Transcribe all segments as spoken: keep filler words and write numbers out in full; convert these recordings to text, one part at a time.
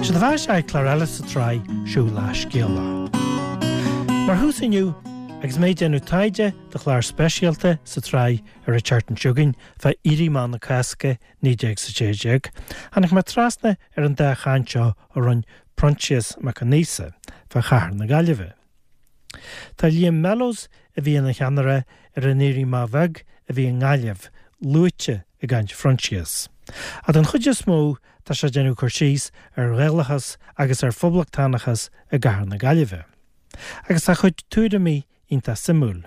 Sé do bheatha ag clár eile sa tsraith Siúil le Scéala. Mar thús inniu agus mé ag déanamh taighde do chlár speisialta sa tsraith ar an tseachtain seo chugainn fá Éirí Amach na Cásca naoi déag is a sé déag, tháinig mé trasna ar an dá chaint seo a rinne Proinsias Mac Aonghusa fá chathair na Gaillimhe. Tá Liam Mellows a bhí ina cheannaire ar an Éirí Amach Bheag a bhí i nGaillimh luaite i gcaint Phroinsias. Ach den chuid is mó tá sé ag déanamh cur síos ar Ghaelachas agus ar phoblachtánachas i gcathair na Gaillimhe. Agus tá a chuid tuairimí iontach suimiúil.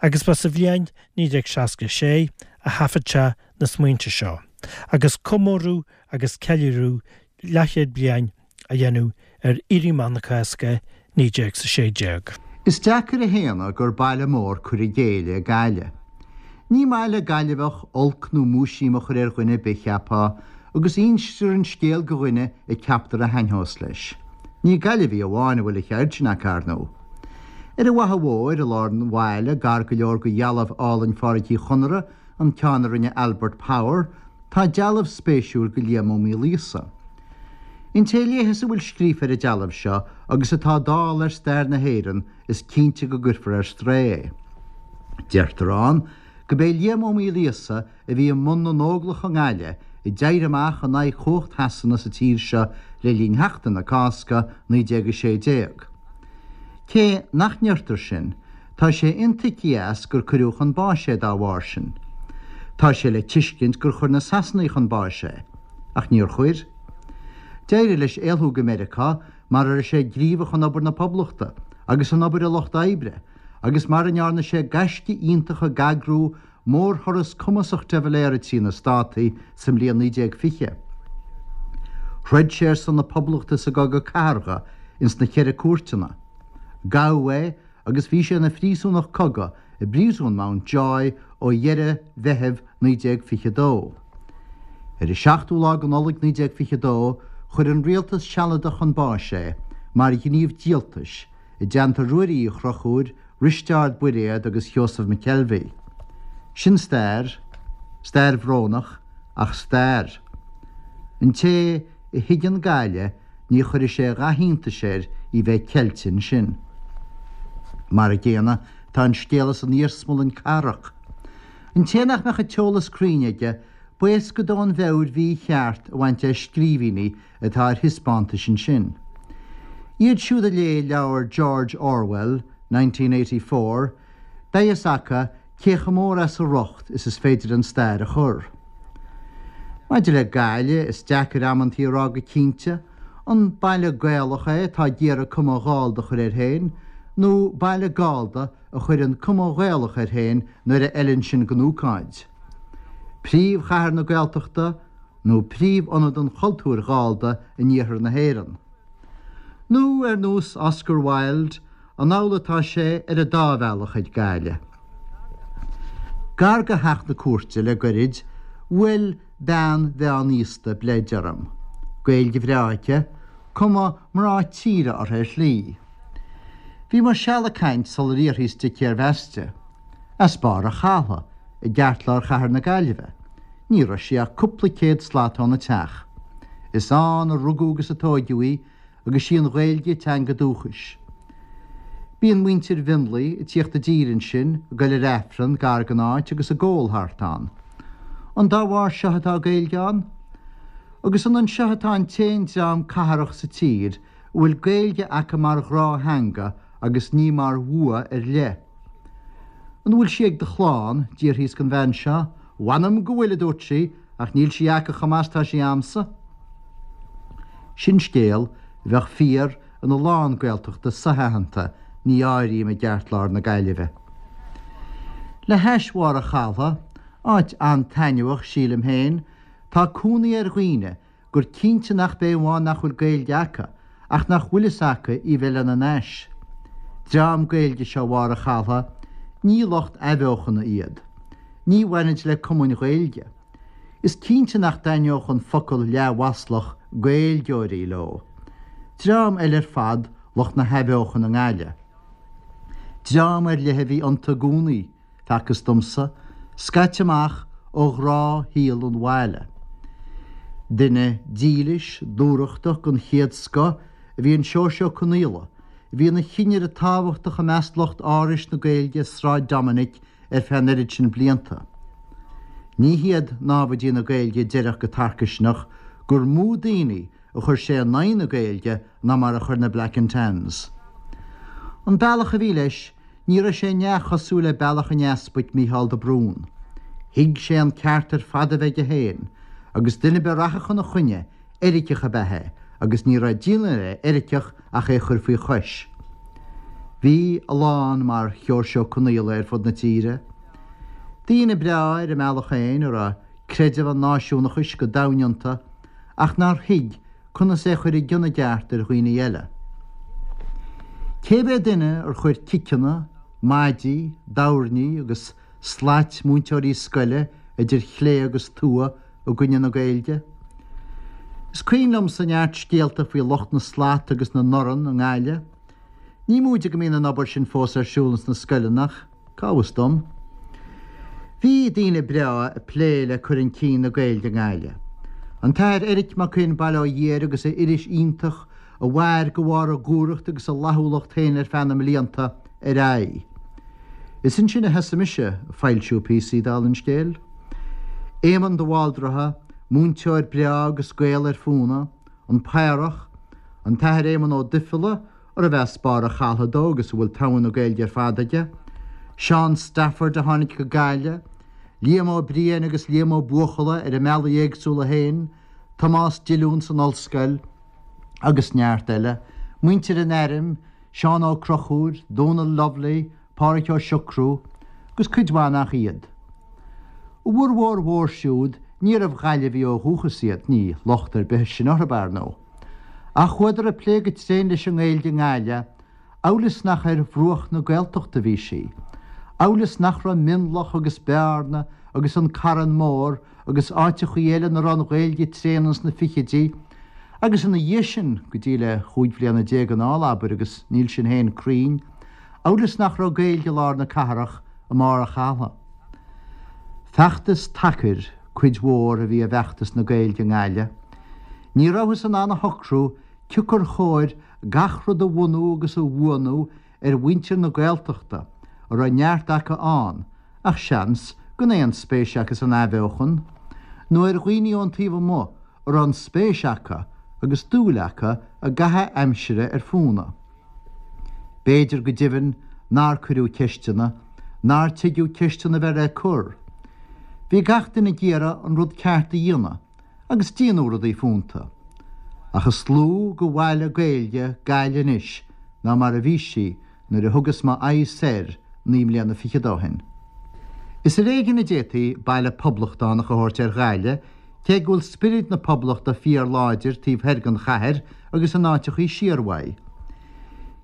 Agus ba sa bhliain naoi déag seasca sé a thaifead sé na smaointe seo, agus comóradh agus ceiliúradh leathchéad bliain á dhéanamh ar Éirí Amach na Cásca naoi déag is a sé déag. Is deacair a shéanadh gur baile mór cur i gcéille é Gaillimh. Ní maith le Gaillimheach olc nó múisiam a chur ar dhuine ar bith, cheapfá, agus instear an scéal go dhuine a ceaptar a thaitneos leis. Ní Gaillimhigh amháin a bhfuil an cheird sin acu, ar ndóigh. Ar an bhFaiche Mhór i lár an bhaile, gar go leor go dhealbh álainn Phádraic Uí Chonaire, an ceann a rinne Albert Power, tá dealbh spéisiúil go Liam Ó Maoilíosa. An té a léifeas a bhfuil scríofa ar an dealbh seo agus atá dall ar stair na hÉireann is cinnte go gcuirfear ar strae é. Deirtear ann go b'é Liam Ó Maoilíosa a bhí i mbun na nÓglach i nGaillimh a d'éirigh amach in aghaidh chumhacht Shasana sa tír seo le linn Sheachtain na Cásca naoi déag a sé déag. Cé nach ndeirtear sin, tá sé intuigthe as gur cuireadh chun báis é dá bharr sin. Tá sé le tuiscint gur chuir na Sasanaigh chun báis é, ach níor chuir. D'éirigh leis éalú go Meiriceá mar a raibh sé gníomhach in obair na Poblachta agus in obair an lucht oibre, agus mar a ndearna sé gaisce iontach ag eagrú mórthuras cumasach de Valera trí na Státaí sa mbliain naoi déag fiche. Throid sé ar son na Poblachta sa gCogadh Cathartha ins na Ceithre Cúirteanna. Gabhadh é agus bhí sé ina phríosúnach cogaidh i bpríosún Mountjoy ó dheireadh Mheitheamh naoi déag fiche dó. Ar an seachtú lá de Nollaig naoi déag fiche dó, chuir an rialtas sealadach chun báis é mar ghníomh díoltais i dteannta Ruairí Uí Chonchúir, Risteárd Buiréad agus Sheosamh McKelvey. Sin stair, stair bhrónach, ach stair. An té a thuigeann Gaillimh ní chuirfidh sé a dhath iontais air í bheith ceilte ansin. Mar an gcéanna tá an scéal san iarsmalann cathrach. An té nach mbeadh an t-eolas cruinn aige, b'éasca dó an mheabhair mhícheart a bhaint as scríbhinní atá ar thaispeántais ansin. Iad siúd a léigh leabhar George Orwell, nineteen eighty four, beidh fhios acu cé chomh mór as a riocht is is féidir an stair a chur. Maidir le Gaillimh, is deacair amantaí a rá go cinnte, an baile Gaelach é atá ag iarraidh cuma Ghallda a chur air féin, nó baile Gallda a chuireann cuma Ghaelach air féin nuair a fheileann sin don ócáid. Príomhchathair na Gaeltachta nó príomhionad an chultúir Ghallda in iarthar na hÉireann. Nó ar nós Oscar Wilde, an amhlaidh atá sé ar an dá bhealach ag Gaillimh. Gar do theach na cúirte le goirid, bhuail bean mheánaosta bleid orm. Gaeilge bhreá aici, cuma mná tíre uirthi ar shlí. Bhí muid seal ag caint sular fhiafraíos di cérbh aisti. As Barr an Chatha, i gceartlár chathair na Gaillimhe. Ní raibh sí ach cúpla céad slat óna teach. Is ann a rugadh agus a tóigeadh í, agus sí an Ghaeilge teanga dúchais. Bíonn muintir Mhionlaigh ag tíocht i dtír ansin, ag goil ar Aifreann gar don áit agus ag ól thart ann. An dá bharr seo atá Gaeilge ann? Agus an anseo atá an t-aon dream cathrach sa tír a bhfuil Gaeilge acu mar ghnáth-theanga agus ní mar bhua ar leith? An bhfuil sí ag do chlann? D'fhiafraíos den bhean seo. Mh'anam go bhfuil, a dúirt sí, ach níl sí acu chomh maith is tá sí a'msa. Sin scéal a bheadh fíor ina lán Gaeltachta so-aitheanta, ní áirím i gceartlár na Gaillimhe. Le hais Bharr an Chatha, áit an-taitneamhach, sílim féin, tá cónaí ar dhaoine gur cinnte nach b'é amháin nach bhfuil Gaeilge acu, ach nach bhfuil fhios acu í bheith lena n-ais. Dream Gaeilge seo Bharr an Chatha, ní lucht athbheochana iad. Ní bhainid le cumainn Ghaeilge. Is cinnte nach dtaitneodh an focal leathmhaslach Gaeilgeoirí leo. Dream eile ar fad lucht na hathbheochana i nGaillimh. Dream ar leith a bhí iontu i gcónaí, facthas domsa, scaite amach ó ghnáthshaol an bhaile. Duine dílis, dúthrachtach den chéad scoth a bhí in Seoirse Ó Conaola, a bhí ina chinnire tábhachtach i measc lucht Árais na Gaeilge i Sráid Dominic ar feadh an oiread sin blianta. Ní hiad námhaidí na Gaeilge a déarfadh go tarcaisneach gur mó daoine a chuir sé in aghaidh na Gaeilge ná mar a chuir na Black and Tans. An bealach a bhí leis, ní raibh sé neamhchosúil le bealach an Easpaig Mícheál de Brún. Thuig sé an ceart ar fad a bheith aige féin, agus duine ar bith a rachadh ina choinne, eiriceach ab ea é, agus ní raibh déanamh le eiriceach ach é a chur faoi chois. Bhí a lán mar Sheoirse Ó Conaola ar fud na tíre. Daoine breá ar a mbealach féin a raibh creideamh an náisiúnachais go domhain iontu, ach nár thuig conas é a chur i gcion i gceart ar dhaoine eile. Cé mhéad duine ar chuir ciceanna, maidí, doirní agus slait múinteoirí scoile idir chlé agus tua i gcoinne na Gaeilge? Is cuimhin liomsa neart scéalta faoi lucht na slat agus na ndorn i nGaillimh. Ní móide go mbíonn an obair sin fós ar siúl ins na scoileanna ach cá bhfios dom? Bhí daoine breá ag plé le cur chun cinn na Gaeilge i nGaillimh. An tAthair Eric Mac Fhinn Baile Átha Ghiair agus a iris iontach a mhair de bharr a dhúthracht agus a fhlaithiúlacht féin ar feadh na mblianta ar aghaidh. Is ansin a thosaigh mise ag foilsiú píosaí dála an scéil. Éamonn de Bhaldraithe, múinteoir breá agus Gael ar fónamh, an Paorach, an tAthair Éamonn Ó Duifileá, arbh as Barr a' Chaltha dó agus a bhfuil togha na Gaeilge ar fad aige, Seán Stafford a tháinig go Gaillimh, Liam Ó Briain agus Liam Ó Buachalla ar a mbealaí éagsúla féin, Tomás Dillún san ollscoil, agus neart eile, muintir an airm, Seán Ó Conchúir, Dónal Lovely, Pádraig Ó Siochrú, agus cuid mhaith nach iad. A bhformhór mhór siúd níorbh Ghaillimhigh ó dhúchas iad, ní locht ar bith sin orthu, ar ndóigh. Ach chuadar ag plé go tréan leis an nGaeilge i nGaillimh, amhail is nach ar bhruach na Gaeltachta a bhí sí, amhail is nach raibh Mionlach agus Bearna agus an Carn Mór agus áiteachaí eile ina raibh an Ghaeilge tréan ins na fichidí, agus ina dhiaidh sin, go dtí le chúig bhliana déag anall, abair, agus níl sin féin cruinn, amhail is nach raibh Gaeilge i lár na cathrach i mbarr a chatha. Feachtas tacair cuid mhór a bhí i bhfeachtas na Gaeilge i nGaillimh. Ní rabhthas in ann a shocrú cioncar chóir gach rud a bhunú agus a bhuanú ar mhuintir na Gaeltachta, a raibh neart acu ann, ach seans gan aon spéis acu san athbheochan, nó ar dhaoine ón taobh amuigh a raibh an spéis acu agus dúil acu i gcaitheamh aimsire ar fónamh. B'fhéidir go deimhin nár cuireadh ceisteanna, nár tuigeadh ceisteanna a bheith le cur. Bhí gach duine ag iarraidh an rud ceart a dhéanamh, agus déanadh rudaí fónta. Ach is lú de bhaile Gaeilge Gaillimh anois ná mar a bhí sí nuair a thugas m'aghaidh soir naoi mbliana fichead ó shin. Is ar éigean a d'fhéadfaí baile poblachtánach a thabhairt ar Ghaillimh, cé go bhfuil spiorad na poblachta fíorláidir taobh thoir den chathair agus in áiteachaí siar uaidh.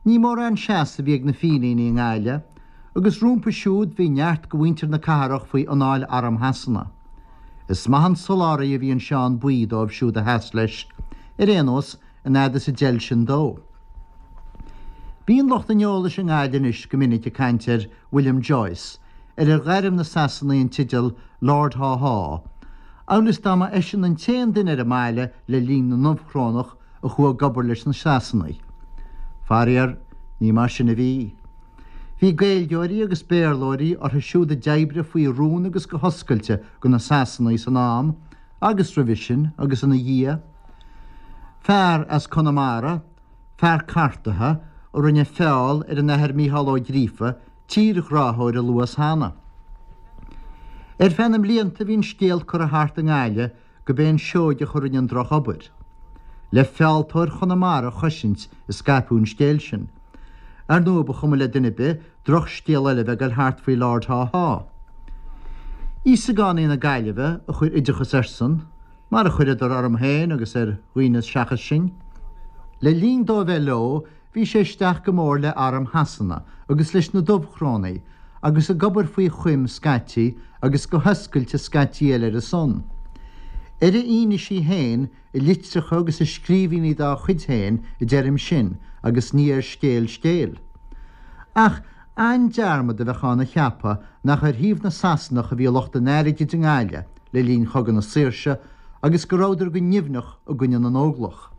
Ní mórán seasamh a bhí ag na Fíníní i nGaillimh, agus rompu siúd bhí neart de mhuintir na cathrach faoi anáil arm Shasana. Is maith an soláthraí a bhí in Seán Buí dóibh siúd a sheas leis, ar aon nós, an fhad is a d'fheil sin dó. Bíonn lucht an eolais i nGaillimh anois go minic ag caint ar William Joyce, ar ar ghairm na Sasanaigh an teideal Lord Haw Haw, amhail is dá mba eisean an t-aon duine ar an mbaile le linn na nDubhchrónach a chuaigh ag obair leis na Sasanaigh. Faraor, ní mar sin a bhí. Bhí Gaeilgeoirí agus Béarlóirí orthu siúd a d'oibrigh faoi rún agus go hoscailte do na Sasanaigh san am agus roimhe sin agus ina dhiaidh. Fear as Conamara, fear cartaithe, a rinne feall ar an Athair Mícheál Ó Gríofa, tírghráthóir a luas cheana. Ar feadh na mblianta bhí an scéal curtha thart i nGaillimh gurb é an Seoigeach a rinne an drochobair. Le fealltóir Chonamara a chosaint a scaipeadh an scéal sin. Ar ndóigh ba chuma le duine ar bith drochscéal eile a bheith ag dul thart faoi Lord Haw Haw. Íosagánaigh na Gaillimhe a chuir oideachas airsean, mar a chuireadar orm féin agus ar dhaoine seachas sinn. Le linn dó a bheith leo bhí sé isteach go mór le arm Shasana agus leis na Dubhchrónaigh agus ag obair faoi choim scaití agus go hoscailte scaití eile ar a son. Ar a fhianaisí féin i litreacha agus i scríbhinní dá chuid féin a deirim sin agus ní ar scéal scéil. Ach an-dearmad a bheadh ann a cheapadh nach ar thaobh na Sasanach a bhí lucht an airgid i nGaillimh le linn Chogadh na Saoirse agus go rabhadar go nimhneach i gcoinne na nÓglach.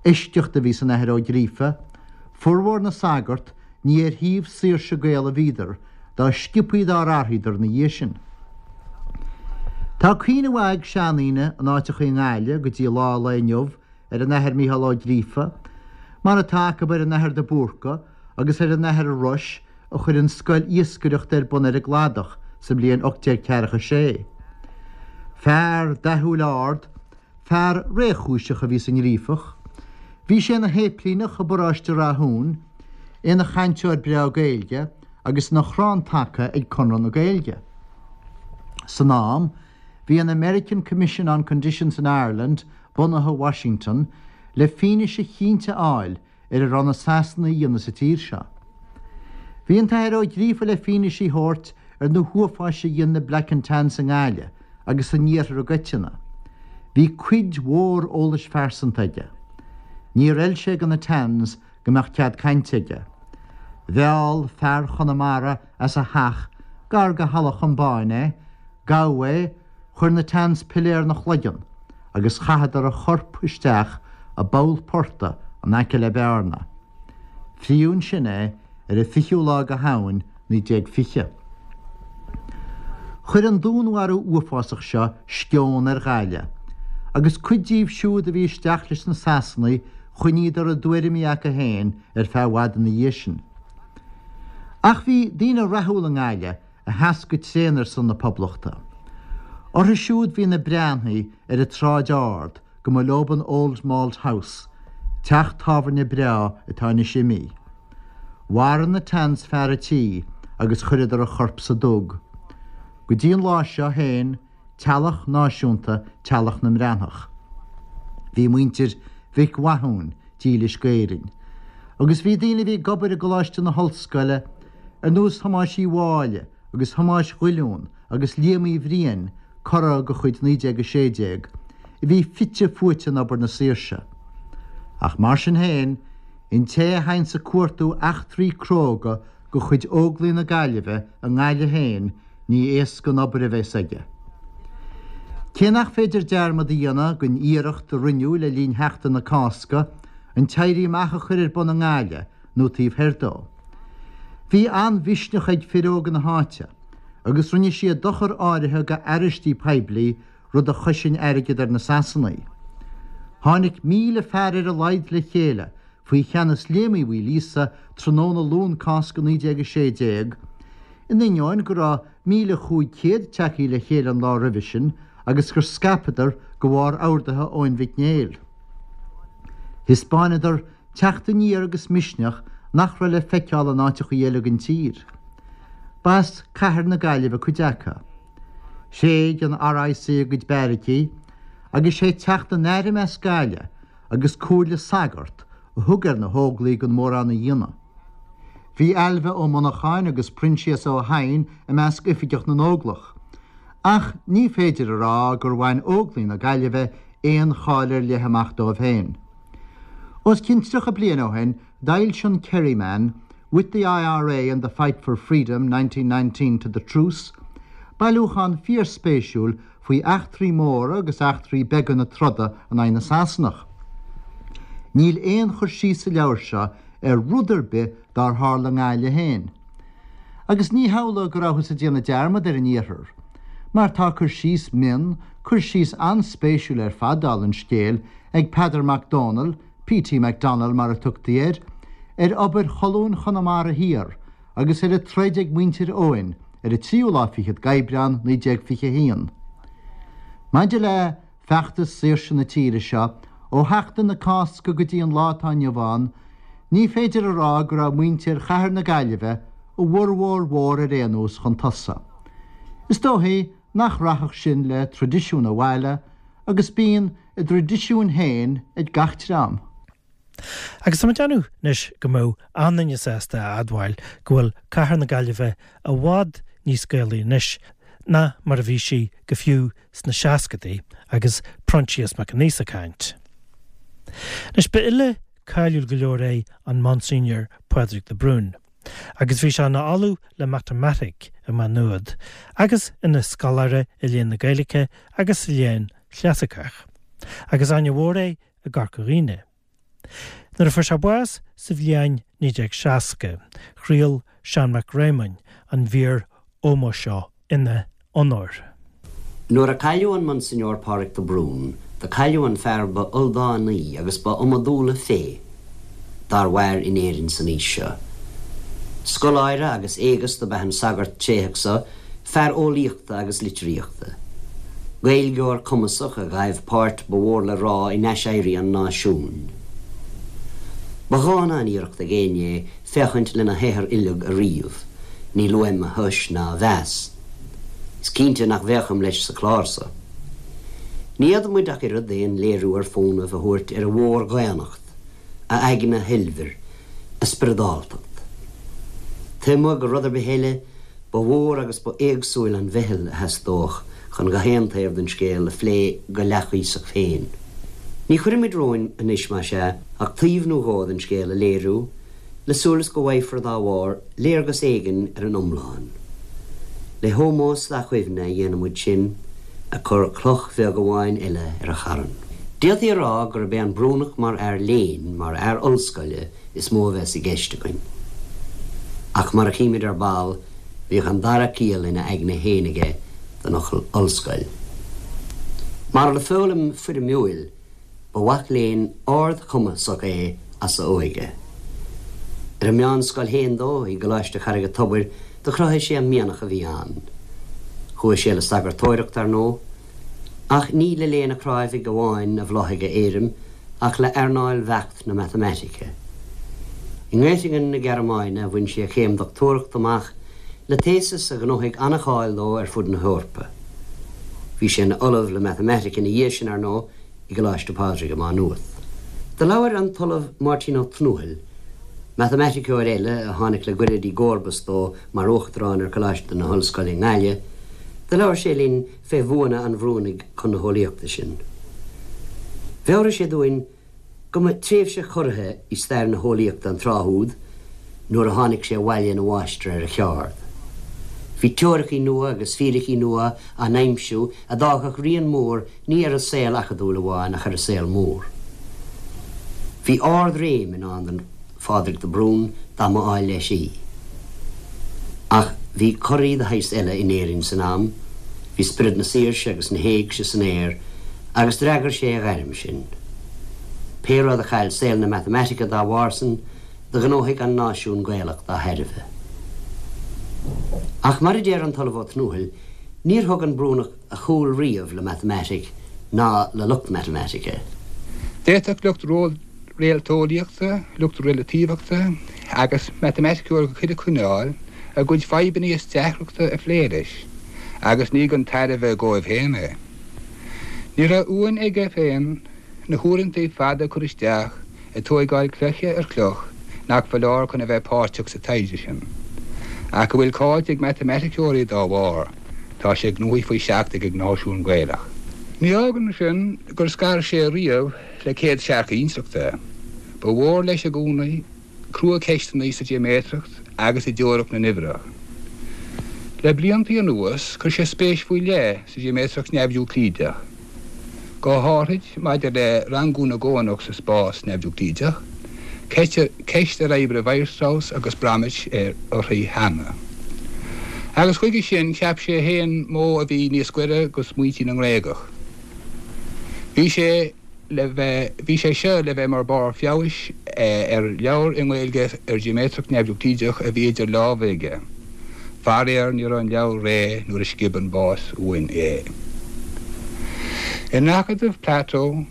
Eisceacht a bhí san Athair Ó Gríofa, formhór na sagart ní ar thaobh saoirse Gael a bhíodar, dá sciobthaí dár athraíodar ina dhiaidh sin. Tá cuimhne mhaith ag seandaoine in áiteacha i nGaillimh go dtí lá an lae inniu ar an Athair Mícheál Ó Gríofa, mar atá acu ar an Athair de Búrca agus ar an Athair Rois a chuir an scoil iascaireachta ar bun ar an gcladach sa mbliain ocht déag ceathracha sé. Fear dathúil ard, fear réchúiseach a bhí sa nGríofach. Bhí sé ina shéiplíneach i bparóiste Rathúin, ina chainteoir breá Gaeilge agus ina chrann taca ag Conradh na Gaeilge. San am, bhí an American Commission on Conditions in Ireland bunaithe i Washington le fianaise chinnte a fháil ar a raibh na Sasanaigh a dhéanamh sa tír seo. Bhí an tAthair Ó Gríofa le fianaise a thabhairt ar na huafáis a dhein na Black and Tans i nGaillimh agus san iarthar i gcoitinne. Bhí cuid mhór eolais phearsanta aige. Níor fheil sé do na Tans go mbeadh cead cainte aige. Mheall fear Chonamara as a theach gar go Halla Chombáin é, gabhadh é, chuir na Tans piléar ina chloigeann agus chaitheadar a chorp isteach i bpoll portaigh in aice le Bearna. Fríodh ansin é ar an fichiú lá de Shamhain naoi déag fiche. Chuir an dúnmharú uafásach seo sceon ar Ghaillimh, agus cuid díobh siúd a bhí isteach leis na Sasanaigh choinníodar a dtuairimí acu féin ar feadh i bhfad ina dhiaidh sin. Ach bhí daoine rathúla i nGaillimh a sheas go tréan ar son na Poblachta. Orthu siúd bhí na Breathnaigh ar an tSráid Ard go mba leob an Old Malt House, teach tábhairne breá atá anois imithe. Mharaigh na Tans fear a' tí agus chuireadar a chorp sa dug. Go dtí an lá seo féin, teaghlach náisiúnta teaghlach na mBreathnach. Bhí muintir Mhic Mhathúin dílis d'Éirinn. Agus bhí daoine a bhí ag obair i gColáiste na hOllscoile, ar nós Thomáis Uí Mháille agus Thomáis Dhuilliún agus Liam Uí Bhriain, curaidh de chuid naoi déag a sé déag, a bhí fite fuaite in obair na saoirse. Ach mar sin féin, an té a théanns ag cuartú eachtraí cróga de chuid Óglaigh na Gaillimhe i nGaillimh féin, ní éasca an obair a bheas aige. Cé nach féidir dearmad a dhéanamh den iarracht a rinneadh le linn Sheachtain na Cásca an tÉirí Amach a chur ar bun i nGaillimh nó taobh thoir dó. Bhí an-mhisneach ag fir óga na háite agus rinne siad dochar áirithe go arraistí poiblí, rud a chosain airgead ar na Sasanaigh. Tháinig míle fear ar a laghad le chéile faoi cheannas Liam Uí Mhaoilíosa tráthnóna Luan Cásca naoi déag a sé déag, in ainneoin go raibh míle chúig chéad tagtha le chéile an lá roimhe sin agus gur scaipeadar de bharr orduithe Eoin Mhic Néill. Thaispeánadar teacht aniar agus misneach nach raibh le feiceáil in áiteachaí eile den tír. B'as cathair na Gaillimhe cuid acu. Thréig an R I C a gcuid beairicí agus sé teacht an airm as Gaillimh agus comhairle sagart a thug ar na hÓglaigh an mórán a dhéanamh. Bhí Ailbhe Ó Monacháin agus Proinsias Ó hEidhin i measc oifigeach na nÓglach. Ach ní féidir a rá gur bhain Óglaigh na Gaillimhe aon cháil ar leith amach dóibh féin. Os cionn tríocha bliain ó shin, d'fhoilsigh an Kerryman, With the I R A and the Fight for Freedom, nineteen nineteen to the Truce, bailiúchán fíorspéisiúil faoi eachtraí móra agus eachtraí beaga na troda in aghaidh na Sasanach. Níl aon chur síos sa leabhar seo ar rud ar bith dár tharla i nGaillimh féin. Agus ní hamhlaidh go rabhthas ag déanamh dearmad ar an iarthar, mar tá cur síos mion, cur síos an-spéisiúil ar fad, dála an scéil, ag Peadar Mac Dónaill, P T McDonnell mar a tugtaí air, ar obair Cholún Chonamara Thiar agus ar an troid ag muintir Eoghain ar an tríú lá fichead d'Aibreán naoi déag fiche a haon. Maidir le feachtas saoirse na tíre seo, ó Sheachtain na Cásca go dtí an lá atá inniu ann, ní féidir a rá go raibh muintir chathair na Gaillimhe, a bhformhór mhór ar aon nós, chun tosaigh. Is dóichí nach rachadh sin le traidisiún an bhaile, agus bíonn a dtraidisiúin féin ag gach dream. Agus tá mé ag déanamh anois go mbeadh an-duine sásta a admháil go bhfuil cathair na Gaillimhe i bhfad níos Gaelaí anois ná mar a bhí sí go fiú sna seascadaí agus Proinsias Mac Aonghusa ag caint. Anois ba fhile cáiliúil go leor é an Monsignor Pádraig de Brún, agus bhí sé ina ollamh le matamaitic i Maigh Nuad agus ina scoláire i léann na Gaeilge agus sa léann Chlasaiceach, agus aithne mhór é i gCorca Dhuibhne. Nuair a fuair sé bás sa bhliain naoi déag seasca, chraol Seán Mac Réamoinn an mhír ómóis seo ina onóir. Nuair a cailleadh an Monsignor Pádraig de Brún, do cailleadh an fear ba ildánaí agus ba iomadúla féith dár mhair in Éirinn san aois seo. Scoláire agus éigeast ab ea an sagart tréitheach so, fear eolaíochta agus litríochta. Gaeilgeoir cumasach a ghaibh páirt ba mhór le rá in aiséirí an náisiúin. Ba dhána an iarracht ag éinne é féachaint lena shaothar uileag a ríomh, níl uaim a thomhas ná a mheas. Is cinnte nach bhféachaim leis sa chlár so. Ní fhéadfaimid ach oiread aon léiriú ar fónamh a thabhairt ar a mhórdhaonnacht, a aigne shoilbhir, a spioradáltacht. Taobh amuigh de rud ar bith eile, ba mhór agus ba éagsúil an mheitheal a theastódh chun gach aon taobh den scéal a phlé go leathchuíosach féin. Ní chuirfimid romhainn anois, más ea, ach taobh nó dhó den scéal a léiriú, le súil is go bhfaighfear dá bharr léargas éigin ar an iomlán. Le hómós dá chuimhne a dhéanaimid sin, ag cur cloch bheag amháin eile ar a charn. D'fhéadfaí a rá gurb é an Brúnach mar fhear léinn, mar fhear ollscoile, is mó a bheas i gceist againn. Ach mar a chímid ar ball, bhíodh an dara ciall ina aigne féin aige don fhocal ollscoil. Mar le foghlaim foirmiúil, ba mhac léinn ardchumasach é as a óige. Ar an meánscoil féin dó, i gColáiste Charraig an Tobair, do chruthaigh sé an mianach a bhí ann. Chuaigh sé le sagartóireacht, ar ndóigh, ach ní le léann an chrábhaidh amháin a bhláthaigh a éirim, ach le earnáil bheacht na matamaitice. I nGöttingen na Gearmáine a bhain sé a chéim dochtúireachta amach le téasas a ghnóthaigh an-cháil dó ar fud na hEorpa. Bhí sé ina ollamh le matamaitic ina dhiaidh sin, ar ndóigh, i gColáiste Phádraig i Má Nuat. Do labhair an tOllamh Máirtín Ó Tnúthail, matamaiticeoir eile a tháinig le goirid i gcomharbas dó mar Uachtarán ar Choláiste na hOllscoile i nGaillimh, do labhair sé linn fé bhuanna an Bhrúnaigh chun na heolaíochta sin. Mheabhraigh sé dúinn go mba tréimhse chorraithe i stair na heolaíochta an tráth úd nuair a tháinig sé abhaile ina mháistir ar a cheard. Bhí teoiricí nua agus fíricí nua á n-aimsiú a d'fhágfadh rian mór ní ar an saol acadúil amháin ach ar an saol mór. Bhí ardréim i ndán do Phádraig de Brún dá mba áil leis í. Ach bhí corraí de shaghas eile in Éirinn san am, bhí spiorad na saoirse agus na héigse san aer agus d'fhreagair sé a ghairm sin. Pé rud a chaill saol na matamaitice dá bharr san, do ghnóthaigh an náisiún Gaelach dá thairbhe. Ach mar a deir an tOllamh Ó Tnúthail, níor thug an Brúnach a chúl riamh le matamaitic ná le lucht matamaitice. D'fhéadfadh lucht réalteolaíochta, lucht reiltífachta agus matamaiticeoirí de chuile chineál a gcuid fadhbanna is deacrachta a phlé leis, agus ní gan tairbhe dóibh féin é. Ní raibh uain aige féin na huaireanta fada cur isteach ag tóigeáil cloiche ar chloch nach foláir chun a bheith páirteach sa taighde sin. Ach go bhfuil cáilte ag matamaiticeoirí dá bharr, tá sé gnóthaithe faoi seach ag an náisiún Gaelach. Ní fhágann sin gur scar sé riamh le céadsearcadh intleachta. Ba mhór leis i gcónaí cruacheisteanna sa gheoiméatracht agus i dteoiric na n-uimhreacha. Le blianta anuas chuir sé spéis faoi leith sa gheoiméatracht neamh-Eúclídeach. Go háirid maidir le rangú na gcónach sa spás neamh-Eúclídeach, ceist ar oibrigh Weierstrass agus Bromwich uirthi cheana. Agus chuige sin cheap sé féin modh a bhí níos gaire go smaointe na nGréagach. Bhí sé le bheith bhí sé seo le bheith mar barr feabhais ar leabhar i nGaeilge ar gheoiméatracht neamh-Eúclídeach a bhí idir lámha aige. Faraor ní raibh an leabhar réidh nuair a sciob an bás uainn é. In Acadamh Plato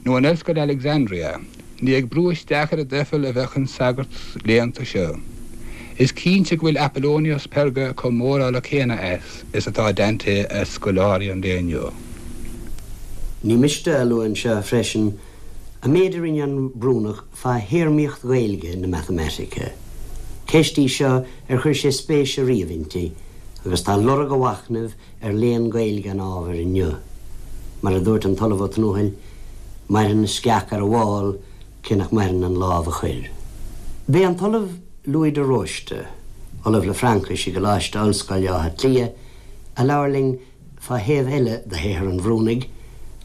nó in Ollscoil Alexandria, ní ag brú isteach ar an duifeall a bheadh an sagart léannta seo. Is cinnte go bhfuil Apollonius Perga chomh mórálach céanna as is atá Dante as scoláirí an lae inniu. Ní miste a lua anseo freisin an méid a rinne an Brúnach fá théarmaíocht Ghaeilge na matamaitice. Ceist í seo ar chuir sé spéis ariamh inti, agus tá lorg a mhachnaimh ar léann Gaeilge an ábhair inniu. Mar a dúirt an tOllamh Ó Tnúthail, maireann an sceach ar an bhfál cé nach maireann an lámh a chuir. B'é an tOllamh Louis de Róiste, Ollamh le Fraincis i gColáiste Ollscoile Átha Cliath, a labhair linn fá thaobh eile de shaothar an Bhrúnaigh,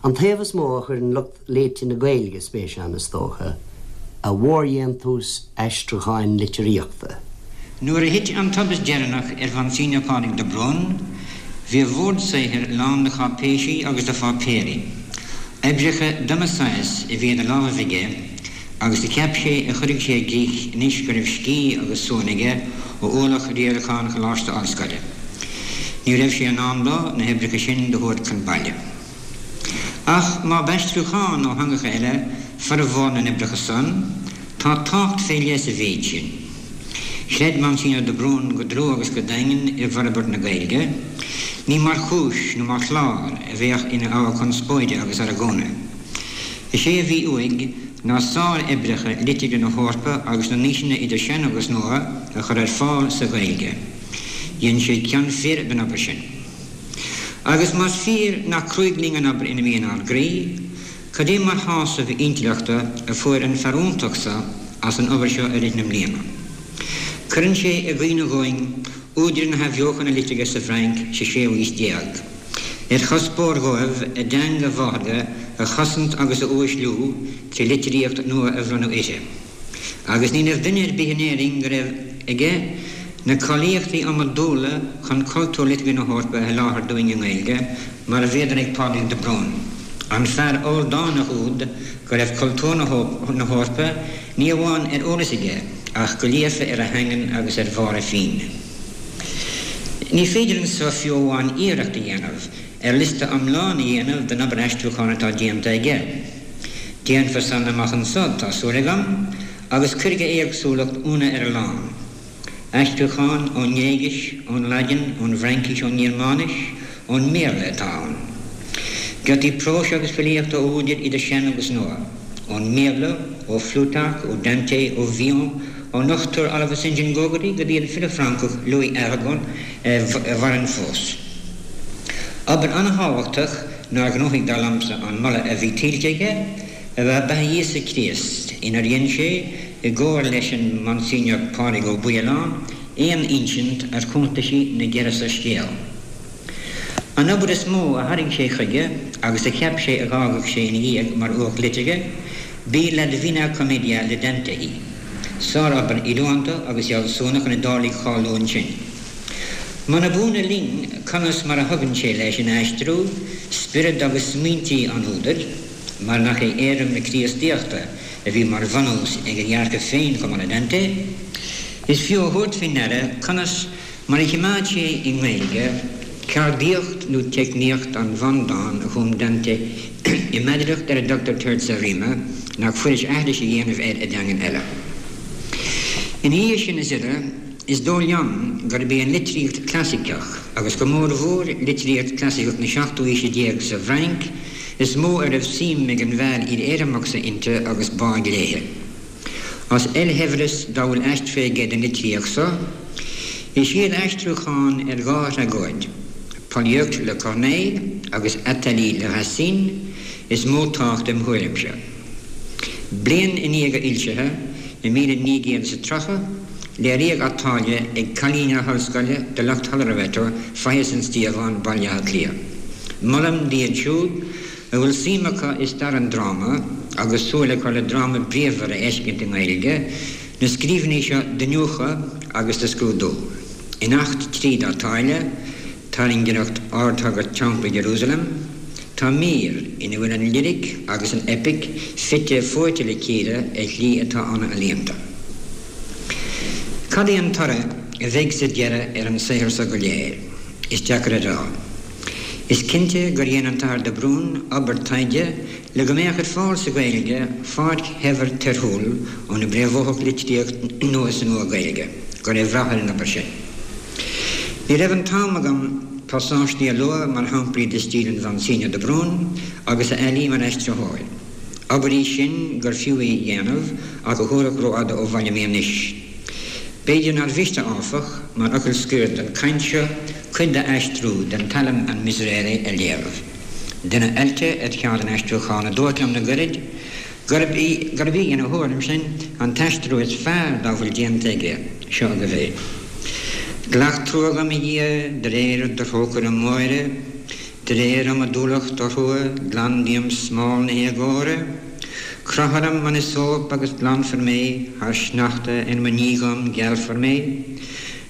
An taobh is mó a chuireann lucht léite na Gaeilge spéis ann is dócha, a mhórdhéantús aistriúcháin litríochta. Nuair a thit an tubaiste deireanach ar Mhonseigneur Pádraig de Brún, bhí a bhord saothair lán de cháipéisí agus de pháipéirí. Oibreacha d'iomaí saghas a bhí idir lámhaibh aige agus a cheap sé a chuirfeadh sé i gcrích anois go raibh scíth agus suan aige ó ualach riaracháin Choláiste Ollscoile. Ní raibh sé in am dó na hoibreacha sin do thabhairt chun baile. Ach má b'aistriúcháin ó theangacha eile formhór na n-oibreacha san, tá tábhacht fé leith sa mhéid sin. Chreid Monsignor de Brún go dlúth agus go daingean i bhforbairt na Gaeilge, ní mar chúis nó mar chlár a bheadh ina ábhar conspóide agus argóna. Is é a bhí uaidh ná sároibreacha liteartha na hEorpa agus na n-aoiseanna idir sean agus nua a chur ar fáil sa Ghaeilge. Dhein sé cion fir den obair sin. Agus más fíor nach cruaidh linn an obair ina mbíonn ár gcroí, cad é mar shásamh intleachta a fuair an fear iontach so as an obair seo i rith na mbliana. Cuireann sé i gcuimhne dhúinn údair na hAthbheochana Liteartha sa Bhfrainc sa séú haois déag, ar chuspóir dhóibh a dteanga mháthartha a chosaint agus a uaisliú trí litríocht nua a bhronnadh uirthi. Agus ní raibh duine ar bith in Éirinn go raibh aige na cáilíochtaí iomadúla chun cultúr liteartha na hEorpa a sholáthar dúinn i nGaeilge mar a bhíodar ag Pádraig de Brún, an fear ildánach úd go raibh cultúr na hEorpa ní amháin ar eolas aige ach go líofa ar a theangain agus ar bharr a phinn. Ní féidir anso fiú amháin iarracht a dhéanamh ar liosta iomlán a dhéanamh den obair aistriúcháin atá déanta aige. Déanfar san amach anso, tá súil agam, agus cuirfidh a éagsúlacht ionadh ar a lán. Aistriúcháin ón nGréigis, ón Laidin, ón bhFraincis, ón nGearmáinis, ón mBéarla atá ann. Giotaí próis agus filíochta ó údair idir sean agus nua, ón mBíobla, ó Phlutarch, ó Dante, ó Villon, ón Dochtúir Oliver St John Gogarty go dtí an file Francach Louis Aragon a mhaireann fós. Obair an-thábhachtach nár ghnóthaigh dar liomsa an moladh a bhí tuillte aige ab ea Beatha Íosa Críost, inar dhein sé, i gcomhar leis an Monsignor Pádraig Ó Baoileáin, aon insint ar chuntaisí na gceithre soiscéal. An obair is mó a tharraing sé chuige agus a cheap sé a dh'fhágfadh sé ina dhiaidh mar uacht liteartha, b'í La Divina Commedia le Dante í. Sárobair oiriúnta agus fhealsúnach an Iodálaigh cháiliúil ansin. Muna b'ionadh linn conas mar a thugann sé leis ina aistriú, spiorad agus smaointí an údair, mar nach é éirim na Críostaíochta a bhí mar bhunús ag a dhearcadh féin chomh maith le Dante, is fiú a thabhairt faoi ndeara conas mar a choimeád sé i nGaeilge ceardaíocht nó teicníocht an bhundáin a chum Dante i meidreacht ar a dtugtar terza rima, nach fuiris aithris a dhéanamh air i dteangain eile. Ina dhiaidh sin is uile, is dóigh liom gurb í an litríocht chlasaiceach, agus go mórmhór litríocht chlasaiceach na seachtú haoise déag sa bhFrainc, is mó a raibh suim ag an bhfear fhíor-éirimeach so inti agus báidh léithe. As oilshaibhreas dá bhfuil aistrithe aige den litríocht so, is iad aistriúcháin ar dhá thragóid, Polyeucte le Corneille agus Athalie le Racine, is mó tábhacht im thuairimse. Bliain i ndiaidh a fhoilsithe, i míle naoi gcéad is a tríocha, léiríodh Athalie ag Cailíní na hOllscoile do lucht Halla Loreto, Faiche San Stíofán, Baile Átha Cliath. Molaim d'iad siúd a bhfuil suim acu i stair an dráma agus súil acu le dráma bríomhar a fheiscint i nGaeilge, na scríbhinní seo d'iniúchadh agus do scrúdú. In Acht trí d'Athalie, tairngireacht Ardshagart Teampall Iarúsailéim, tá mír ina bhfuil an liric agus an eipic fite fuaite le chéile ar shlí atá an-ealaíonta. Cad é an toradh a bheidh sa deireadh ar an saothar so go léir? Is deacair a rá. Is cinnte gur dhein an tAthair de Brún obair taighde le go mbeadh ar fáil sa Ghaeilge pháirc shaibhir torthúil óna bpréamhódh litríocht nua sa Nua-Ghaeilge. Go raibh rath ar an obair sin. Ní raibh an t-am agam pasáistí a lua mar shamplaí de stíl an Mhonseigneur de Brún agus a fhaillí mar aistritheoir. Obair í sin gur fiú í a dhéanamh ach a thabharfadh rófhada ó bhaile mé anois. B'fhéidir nár mhiste, áfach, mar fhocal scoir don chaint seo, cuid d'aistriú den tsailm an Miserere a léamh. Duine oilte ar cheard an aistriúcháin a dúirt liom le gairid gurb í, gurb í ina thuairimsean, an t-aistriú is fearr dá bhfuil déanta aige. Seo agaibh é. Glac trua dhom, a Dhia, de réir do thrócaire móire, De réir iomadúlacht do thrua, glan díom smál na héagóra. Croith orm an iosóp agus glanfar mé, thar sneachta in mo níochán gealfar mé.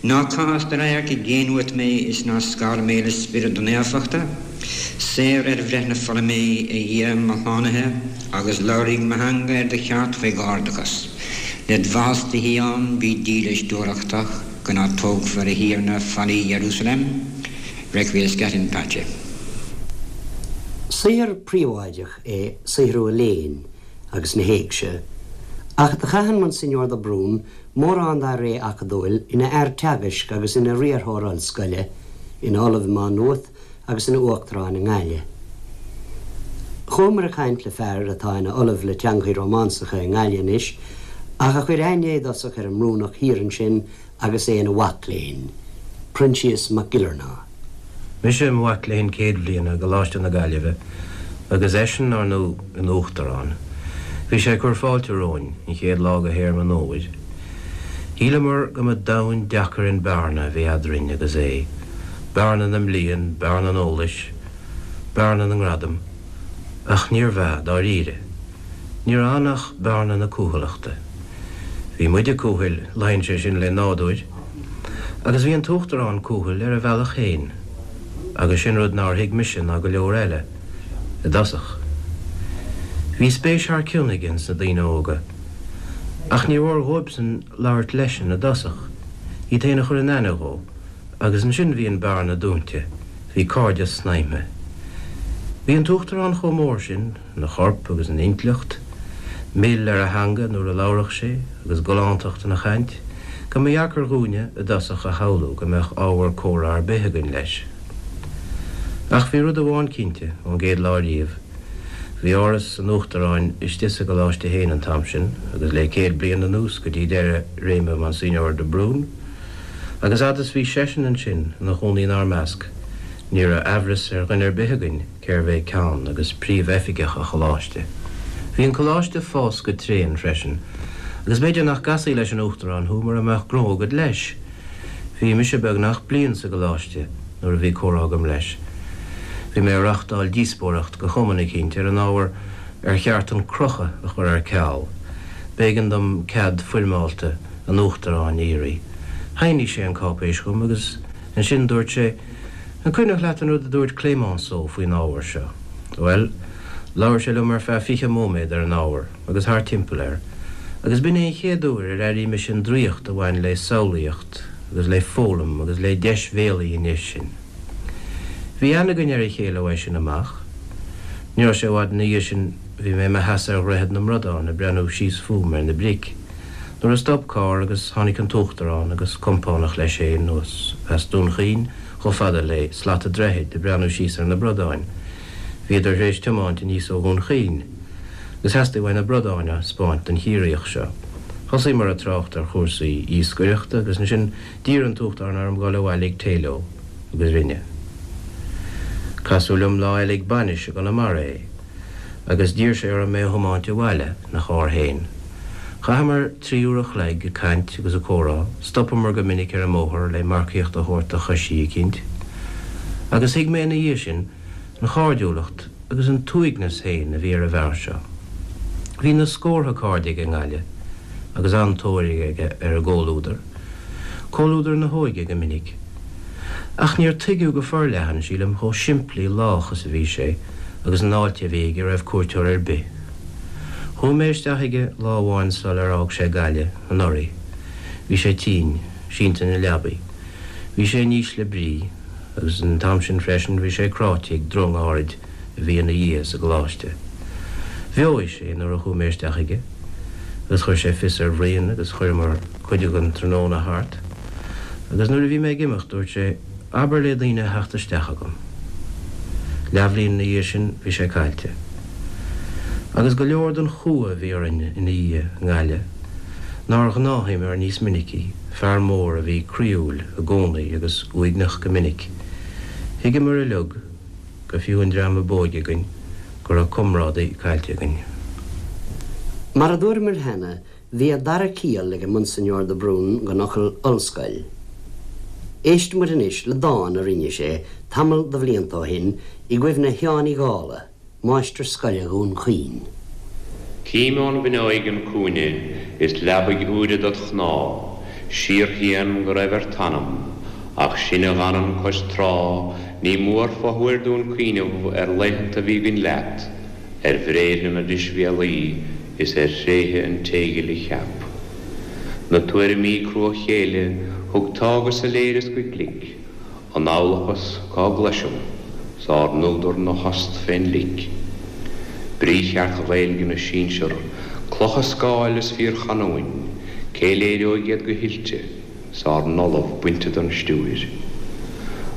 Ná caith as do radharc i gcéin uait mé is ná scar mé le spiorad do naofachta. Saor ar bhreith na fola mé, a Dhia mo shlánaithe, agus labharfaidh mo theanga ar do cheart fé ghairdeachas. Led mhaitheas do Shíón bí dílis dúthrachtach, go n-atógfar, a Thiarna, fallaí Iarúsailéim. Requiescat in pace. Saothar príobháideach é saothrú an léinn agus na héigse, ach do chaith an Monsignor de Brún mórán dá ré acadúil ina fhear teagaisc agus ina riarthóir ollscoile, ina Ollamh i Má Nuat agus ina Uachtarán i nGaillimh. Chuamar ag caint le fear atá ina Ollamh le Teangacha Rómánsacha i nGaillimh anois, ach a chuir aithne i dtosach ar an mBrúnach thiar ansin agus é ina mhac léinn, Proinsias Mac Giollarnáth. Mise i mo mhac léinn céad bhliana i gColáiste na Gaillimhe agus eisean, ar ndóigh, ina Uachtarán. Bhí sé ag cur fáilte romhainn an chéad lá de théarma an fhómhair. Shíleamar go mba domhan deacair an bearna a bhí eadrainn agus é, bearna na mblian, bearna an eolais, bearna na ngradam, ach níorbh ea, dáiríre. Ní raibh ann ach bearna na cúthaileachta. Bhí muide cúthail, luíonn sé sin le nádúr, agus bhí an tUachtarán cúthail ar a bhealach féin, agus sin rud nár thuig mise ná go leor eile, i dtosach. Bhí spéis thar cionn aige sna daoine óga, ach ní mhór dhóibhsean labhairt leisean i dtosach, iad féin a chur in aithne dhó, agus ansin bhí an bearna dúnta, bhí cairdeas snaidhmthe. Bhí an tUachtarán chomh mór sin, ina chorp agus ina intleacht, mil ar a theanga nuair a labhradh sé agus galántacht ina chaint, go mba dheacair dhúinne i dtosach a shamhlú go mbeadh ábhar comhrá ar bith againn leis. Ach bhí rud amháin cinnte ón gcéad lá riamh, bhí Áras an Uachtaráin istigh sa gcoláiste féin an t-am sin agus le céad bliain anuas go dtí deireadh réime Monsignor de Brún, agus fhad is bhí seisean ansin ina chónaí inár measc, ní raibh aimhreas ar dhuine ar bith againn cérbh é ceann agus príomhoifigeach an choláiste. Bhí an coláiste ag fás go tréan freisin, agus b'fhéidir nach gcasfaí leis an Uachtarán thú mura mbeadh gnó agat leis. Bhí mise beagnach bliain sa gcoláiste nuair a bhí comhrá agam leis. Bhí mé ag reáchtáil díospóireacht go chumann eicínt ar an ábhar ar cheart an crochadh a chur ar ceal. B'éigean dom cead foirmeálta an Uachtaráin a iarraidh. Shínigh sé an cáipéis chugam agus ansin dúirt sé, An cuimhneach leat an rud a dúirt Clemenceau faoin ábhar seo? Bhuel, labhair sé liom ar feadh fiche móiméad ar an ábhar agus thart timpeall air, agus b'in é an chéad uair ar airigh mise an draíocht a bhain le samhlaíocht agus le foghlaim agus le deisbhéalaí an nís sin. Bhí aithne againn ar a chéile uaidh sin amach. Ní raibh sé i bhfad ina dhiaidh sin bhí mé i mo sheasamh ar Dhroichead na mBradán ag breathnú síos fúm ar na bric, nuair a stop carr agus tháinig an tUachtarán agus compánach leis féin anuas as Dún Chaoin chomh fada le slat an droichid ag breathnú síos ar na bradáin. Bhíodar tar éis tiomáint aníos ó Dhún Chaoin agus theastaigh uaidh na bradáin a 'spáint don Chiarraíoch seo. Thosaíomar ag trácht ar chúrsaí iascaireachta agus ansin d'iarr an tUachtarán orm dul abhaile ag tae leo, agus rinne. Casadh liom lá eile ag bainis i gConamara é, agus d'iarr sé orm é a thiomáint abhaile ina charr féin. Chaitheamar trí uair a chloig ag caint agus ag comhrá, stopamar go minic ar an mbóthar le marcaíocht a thabhairt do choisí eicínt, agus thuig mé ina dhiaidh sin an chairdiúlacht agus an t-uaigneas féin a bhí ar an bhfear seo. Bhí na scórtha cairde aige i nGaillimh, agus an-tóir aige ar a gcomhluadar, comhluadar na hóige go minic. Ach níor tuigeadh go forleathan, sílim, chomh simplí lách is a bhí sé agus an fháilte a bhí aige roimh cuairteoir ar bith. Chuaigh mé isteach chuige lá amháin sul ar fhág sé Gaillimh, anuraidh. Bhí sé tinn, sínte ina leabaidh. Bhí sé in ísle brí, agus an t-am sin freisin bhí sé cráite ag drong áirid a bhí ina dhiaidh sa gcoláiste. Bheoigh sé nuair a chuaigh mé isteach chuige, agus chuir sé fios ar Bhrian agus chuireamar cuid den tráthnóna thart, agus nuair a bhí mé ag imeacht dúirt sé, Abair le daoine a theacht isteach chugam. Leathbhliain ina dhiaidh sin bhí sé caillte. Agus go leor den chumha a bhí orainn ina dhiaidh i nGaillimh, nár ghnáthaíomar níos minicí, fear mór a bhí croíúil i gcónaí agus uaigneach go minic, thuigeamar uilig, go fiú an dream ab óige againn, go raibh comrádaí caillte againn. Mar a dúramar cheana, bhí an dara ciall ag an Monsignor de Brún den fhocal 'ollscoil'. Éistfidh muid anois le dán a rinne sé tamall de bhlianta ó shin i gcuimhne Sheáin Uí Dhálaigh, máistir scoile Dhún Chaoin. Cím ón bhfuinneoig an cúinne is leabaidh úire dod chnámh, síorshian go raibh ar t'anam, ach sinn a dh'fhanann cois trá, ní mór fothuair dúinn cuimhneamh ar laethanta bhí againn leat, ar bhréithre na deisbhéalaí is ar thréithe an téighil a cheap. Na tuairimí cruachéille thug tá go soiléir is go glic, an amhlachas cá gcloisim, 's ár n-údar 'na thost fén lic. Brí cheart Ghaeilge na sinsear, clocha scáil is fíorchanúin, cé léireoidh iad go hoilte, 's ár n-ollamh bainte den stiúir.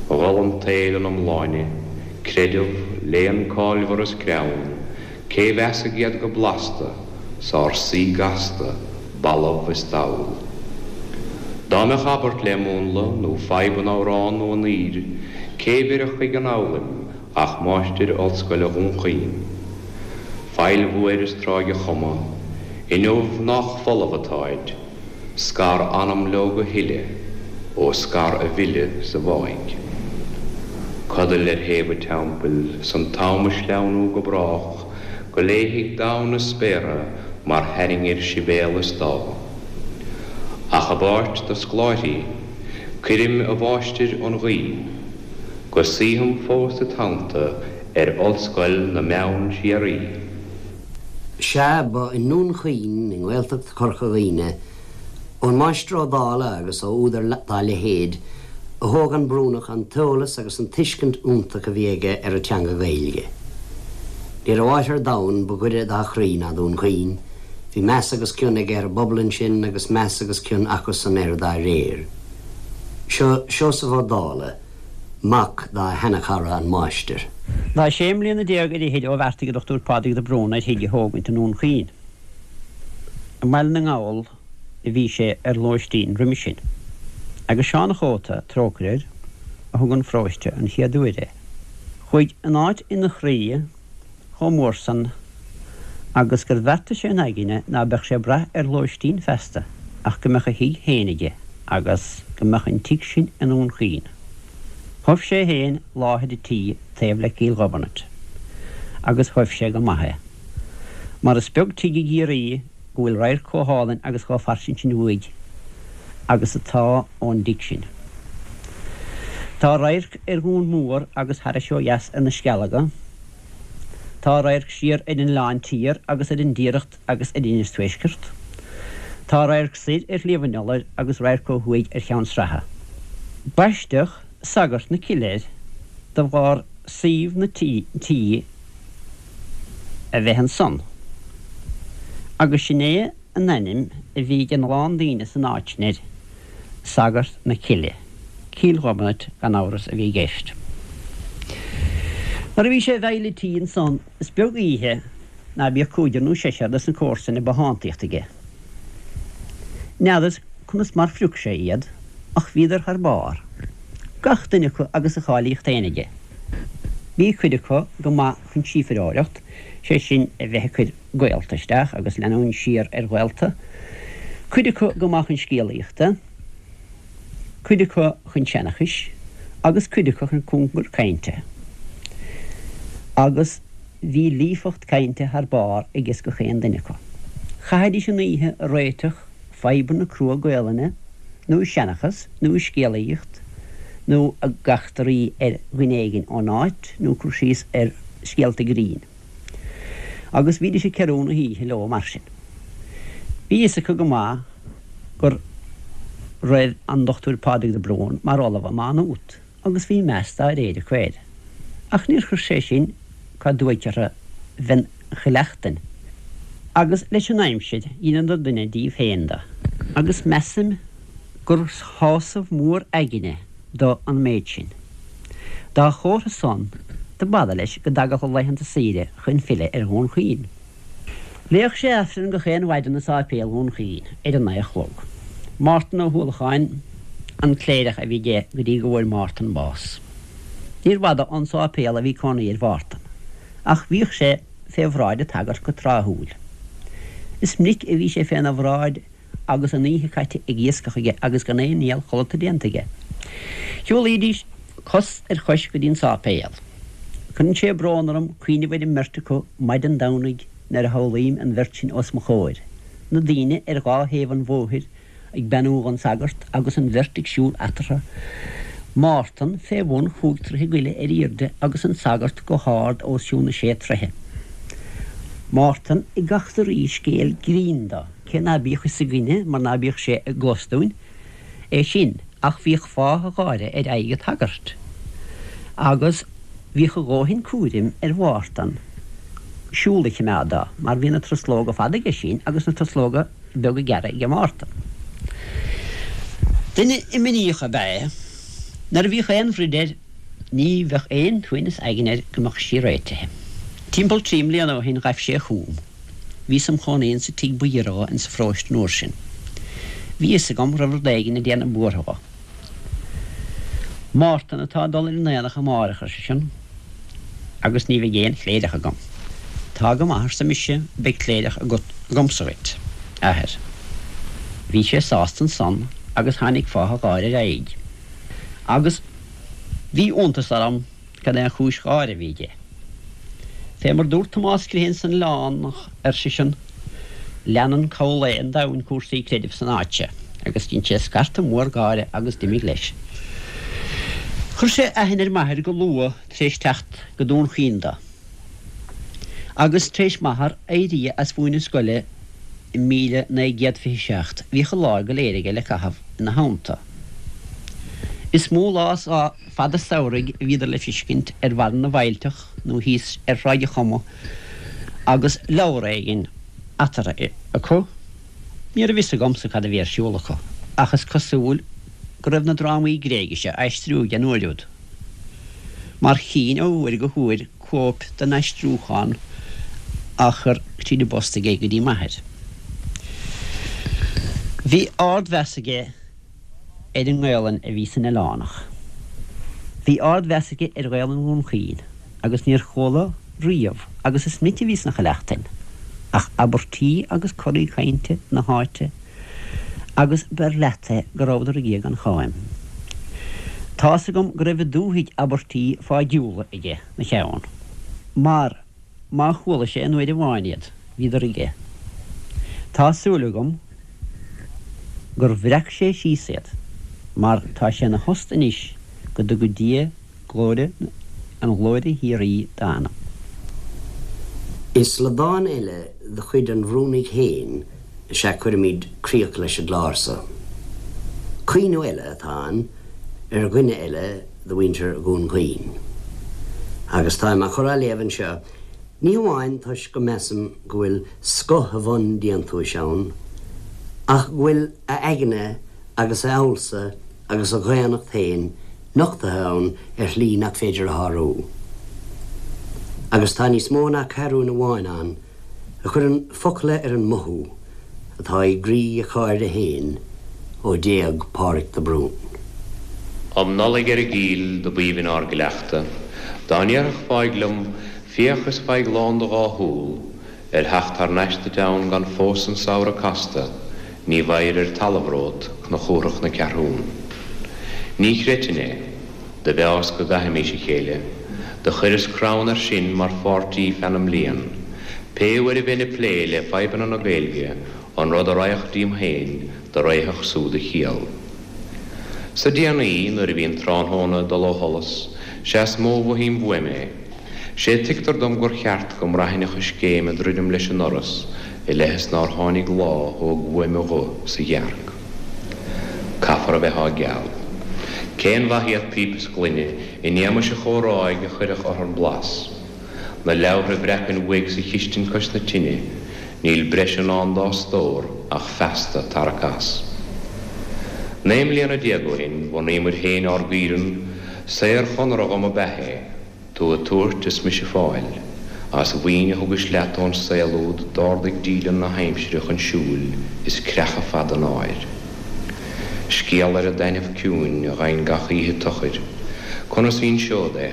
Gol an tsaoil ina iomláine, creideamh, léann cáilmhar is greann, cé mheasfaidh iad go blasta, 's ár saoi gasta, balbh is dall. Dá mbeadh abairt le múnla nó fadhb in amhrán nó in aoir, cé bhéarfadh chuig an fhoghlaim ach máistir ollscoile Dhún Chaoin. Faill mhór is Tráigh a Choma, inniu nách folamh atáid, scar anam leo go huile, ó scar a bhfilleadh sa bháigh. Codail ar thaobh an teampaill 's an t-am a sleamhnú go brách, go léifidh domhan na spéartha mar thairngir Sibéal is Dáth. Ach i bpáirt do scoláirí, cuirim, a mháistir, an ghuí, go suífeam fós id theannta ar ollscoil na mbeann síoraí. Sea, ba i nDún Chaoin i nGaeltacht Chorca Dhuibhne, ón Máistir Ó Dálaigh agus ó údair dá leithéid, a thóg an Brúnach an t-eolas agus an tuiscint iontach a bhí aige ar an teanga Ghaeilge. Ní raibh áit ar domhan ba ghaire dá chroí ná Dún Chaoin, Bhí meas agus cion aige ar an bpobal ansin agus meas agus cion acusan air dá réir. Seo Seosamh Ó Dálaigh, mac dá sheanchara an máistir. Tá sé mbliana déag ar fhichid ó bheartaigh an Dochtúir Pádraig de Brún ar thigh a thógaint i nDún Chaoin. I mBaile na nGall a bhí sé ar lóistín roimhe sin, agus Seán a' Chóta, trócaire air, a thug 'un pharóiste an chéad uair é. Chuaigh an áit ina chroí chomh mór san agus gur bheartaigh sé ina aigne ná beadh sé ag brath ar lóistín feasta ach go mbeadh a thigh féin aige agus go mbeadh an tigh sin i nDún Chaoin. Thoibh sé féin láthair an tí taobh le Cill Ghobnait agus thoibh sé go maith é. Mar is beag tigh i gCiarraí go bhfuil radharc chomh hálainn agus chomh fairsing sin uaidh agus atá ón dtigh sin. Tá radharc ar Dhún Mór agus thairis ó dheas ar na Scealaga, Tá radharc siar ar an Oileán Tiar agus ar an dTiaracht agus ar Inis Tuaiscirt. Tá radharc soir ar Shliabh an Iolair agus radharc ó thuaidh ar Cheann Sratha. Baisteadh Sagart na Cille air de bharr suíomh na tí a bheith ansan. Agus sin é an ainm a bhí ag a lán daoine san áit sin air, Sagart na Cille. Cill Ghobnait gan amhras a bhí i gceist. Nuair a bhí sé i bhfeighil an tí ansan is beag oíche ná bíodh cúigear nó seisear de na comharsain i bothántaíocht aige. N'fheadar conas mar phrioc sé iad, ach bhíodar thar barr, gach duine acu agus a cháilíocht féin aige. Bhí cuid acu go maith chun síofaireoireacht, sé sin a bheith ag cur gaolta isteach agus leanúint siar ar ghaolta, cuid acu go maith chun scéalaíochta, cuid acu chun seanchais agus cuid acu chun cóngar cainte. Agus bhí líofacht cainte thar barr aige gach aon duine acu. Chaithidís an oíche ag réiteach fadhbanna crua Gaelainne, nó seanchas, nó scéalaíocht, nó ag eachtraí ar dhuine éigin ón áit, nó cur síos ar scéalta grinn. Agus bhídís ag cearú na hoíche leo mar sin. Bhí fhios acu go maith go raibh an Dochtúir Pádraig de Brún mar ollamh i Má Nuat, agus bhí meas dá réir acu air. Ach níor chuir sé sin cá dtuaigh orthu bheith chleachtain. Agus leis an aimsir dheineadar duine díobh féin de, agus measaim gur shásamh mór aigne do an méid sin. Dá chomhartha san, do b'fhada leis go dtagadh a laethanta saoire chun filleadh ar Dhún Chaoin. Léadh sé Aifreann gach aon mhaidin i Sáipéal Dhún Chaoin ar a naoi a chlog. Mártan Ó hUallacháin an cléireach a bhí aige go dtí go bhfuair Mártan bás. Níor bhfada ón sáipéal a bhí cónaí ar Mhártan, ach bhíodh sé fé bhráid an tsagairt go tráthúil. Is minic a bhí sé féna bhráid agus an oíche caite ag iascach aige agus gan aon iall chodlata déanta aige. Shiúlaidís cos ar chois go dtí an sáipéal. Cuireann sé brón orm cuimhneamh ar an mbeirt acu maidin Domhnaigh nuair a shamhlaím an bheirt sin os mo chomhair, na daoine ar dhá thaobh an bhóthair ag beannú don sagart agus an bheirt ag siúl eatarthu, Mártan fé bhun chúig troithe go leith ar airde agus an sagart go hard os cionn na sé troithe. Mártan ag eachtraí scéal grinn dó, cé ná bíodh fhios againne mar ná bíodh sé i gclos dúinn é sin, ach bhíodh fáth gáire ar aghaidh an tsagairt. Agus bhíodh a dhóthain cúraim ar Mhártan siúl a choimeád dó, mar bhí na truslóga fada aige sin agus na truslóga beaga gearra ag Mártan. Duine imníoch ab ea é. Nuair a bhíodh aon bhroid air, ní bheadh aon tsuaimhneas aigne air go mbeadh sí réitithe. Timpeall trí mbliana ó shin ghaibh sé chugam. Bhíos im chónaí insa tigh ba ghiorra dho insa pharóiste an uair sin. Bhí fhios agam raibh rud éigin ag déanamh buartha dho. Mártan atá ag dul ar an aonach amárach, ar seisean, agus ní bheidh aon chléireach agam. Tá go maith, arsa mise, beidh cléireach agat agamsa dhuit, a athair. Bhí sé sásta ansan agus tháinig fáth a gháire ar a aghaidh. Agus bhí iontas orm cad é an chúis gháire a bhí aige. Fé mar dúirt Tomás Crehan san Oileánach, ar seisean, leanann cabhlaigh an domhain cúrsaí creidimh san áit seo, agus dhein sé scarta mór gáire agus d'imigh leis. Chuir sé aithne ar m'athair go luath tar éis teacht go Dún Chaoin dó. Agus tar éis m'athar éirí as mhúineadh scoile i míle naoi gcéad fiche seacht, bhíodh an lá go léir aige le caitheamh ina theannta. Is mó lá fada samhraidh a bhíodar le feiscint ar bharra na bhfaillteach nó thíos ar Thráigh a' Choma agus leabhar éigin eatarthu acu. Ní raibh fhios agamsa cad a bhí ar siúl acu, ach is cosúil go raibh na drámaí Gréigise á aistriú aige an uair úd, mar chínn ó uair go huair cóip den aistriúchán á chur tríd an bpost aige go dtí m'athair. Bhí ardmheas aige ar an nGaelainn a bhí san Oileánach. Bhí ardmheas aige ar Ghaelainn Dhún Chaoin agus níor chuala riamh, agus is minic a bhí sna Chuileachtain, ach abairtí agus coraí cainte na háite agus b'fhearr leat é go rabhadar ag gan cháim. Tá's agam go raibh i dúthaigh abairtí fáidiúla aige 'na cheann, mar má chuala sé aon uair amháin iad, bhíodar aige. Tá súil agam gur bhreac sé síos iad, mar tá sé ina thost anois go dtuga Dia glóire an ghlóire shíoraí dá anam. Is le dán eile de chuid an Bhrúnaigh féin is ea cuirimid críoch leis an gclár so. Caoineadh eile atá ann ar dhuine eile de mhuintir Dhún Chaoin. Agus táim á chur á léamh anseo, ní hamháin toisc go measaim go bhfuil scoth a bhun-déantúis ann, ach go bhfuil a aigne agus a fhealsa agus a dhaonnacht féin nochtaithe ann ar shlí nach féidir a shárú. Agus tá níos mó ná ceathrún amháin ann a chuireann focla ar an mothú atá i gcroí a chairde féin ó d'éag Pádraig de Brún. Um Nollaig ar an gCill do b'aoibhinn ár gcleachtadh, dá ndéarfadh fáidh liom, féach is faigh lán do dhá shúl, ar theacht thar n-ais duit ann gan fós an samhradh casta, ní bheidh ar talamh romhat cnoc na Ceathrún. Ní chreidfinn é, do mheas go gcaithfimís a chéile, do chuireas crann air sin mar pháirtí feadh na mblian. Pé uair a bheinn ag plé le fadhbanna na Gaeilge, an rud a raghadh díom féin do raghadh súd a chiall. Sa déanaí, nuair a bhí an tráthnóna ag dul ó sholas, sea is mó a mhothaím uaim é. Sé tuigtear dom gur cheart go mbraithfinn a choiscéim ag druidim leis an ndoras i leith is nár tháinig lá a thóg uaim a ghuth sa ghearc. Caithfear a bheith á gceal. Cén mhaith iad píopa is gloine in éagmais an chomhráidh a chuirfeadh orthu blas? Na leabhartha a bhreacfainn uaidh sa chistin cois na tine, níl breis i ndán dá stór ach feasta tarrac as. Naoi mbliana déag ó shin bhunaíomar féin ár gcaoireann, saorchonradh dhom ab ea é, tú ag tabhairt is mise ag fáil, as mhaoin a thugais leat ón saol úd d'ardaigh díleann na haimsire chun siúil is creachadh fada an áir. Scéal ar an dtaitneamh ciúin a gheibhinn gach oíche tochair, conas inseod é?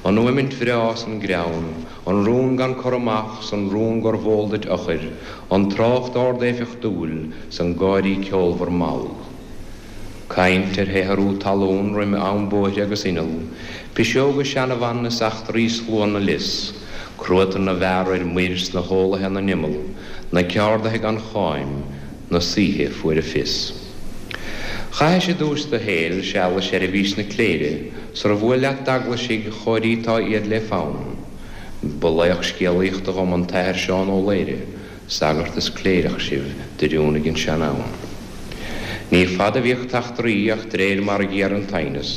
An fhuaimint bhreá 's an greann, an rún gan cur amach 's an rún gurbh eol duit eochair, an trácht ard-éifeachtúil 's an gáirí ceolmhar mall. Caint ar shaothrú talún roimh am bóithre agus inneall, piseoga seanabhan is eachtraí slua na lios, cruatan na bhfear ar muir 's na heolaithe ina n-imeall, na ceardaithe gan cháim, na saoithe fuair a fios. Chaithis i dtús do shaoil seal i seirbhís na cléire, sar bhuail leat d'eaglaisigh chóirítá iad le fonn. Ba laoch scéalaíochta dhom an tAthair Seán Ó Laoire, sagart is cléireach sibh d'oiriúnaigh an sean-fhonn. Ní fada a bhíodh t'eachtraí ach d'réir mar a ghéaraigh an t-aighneas,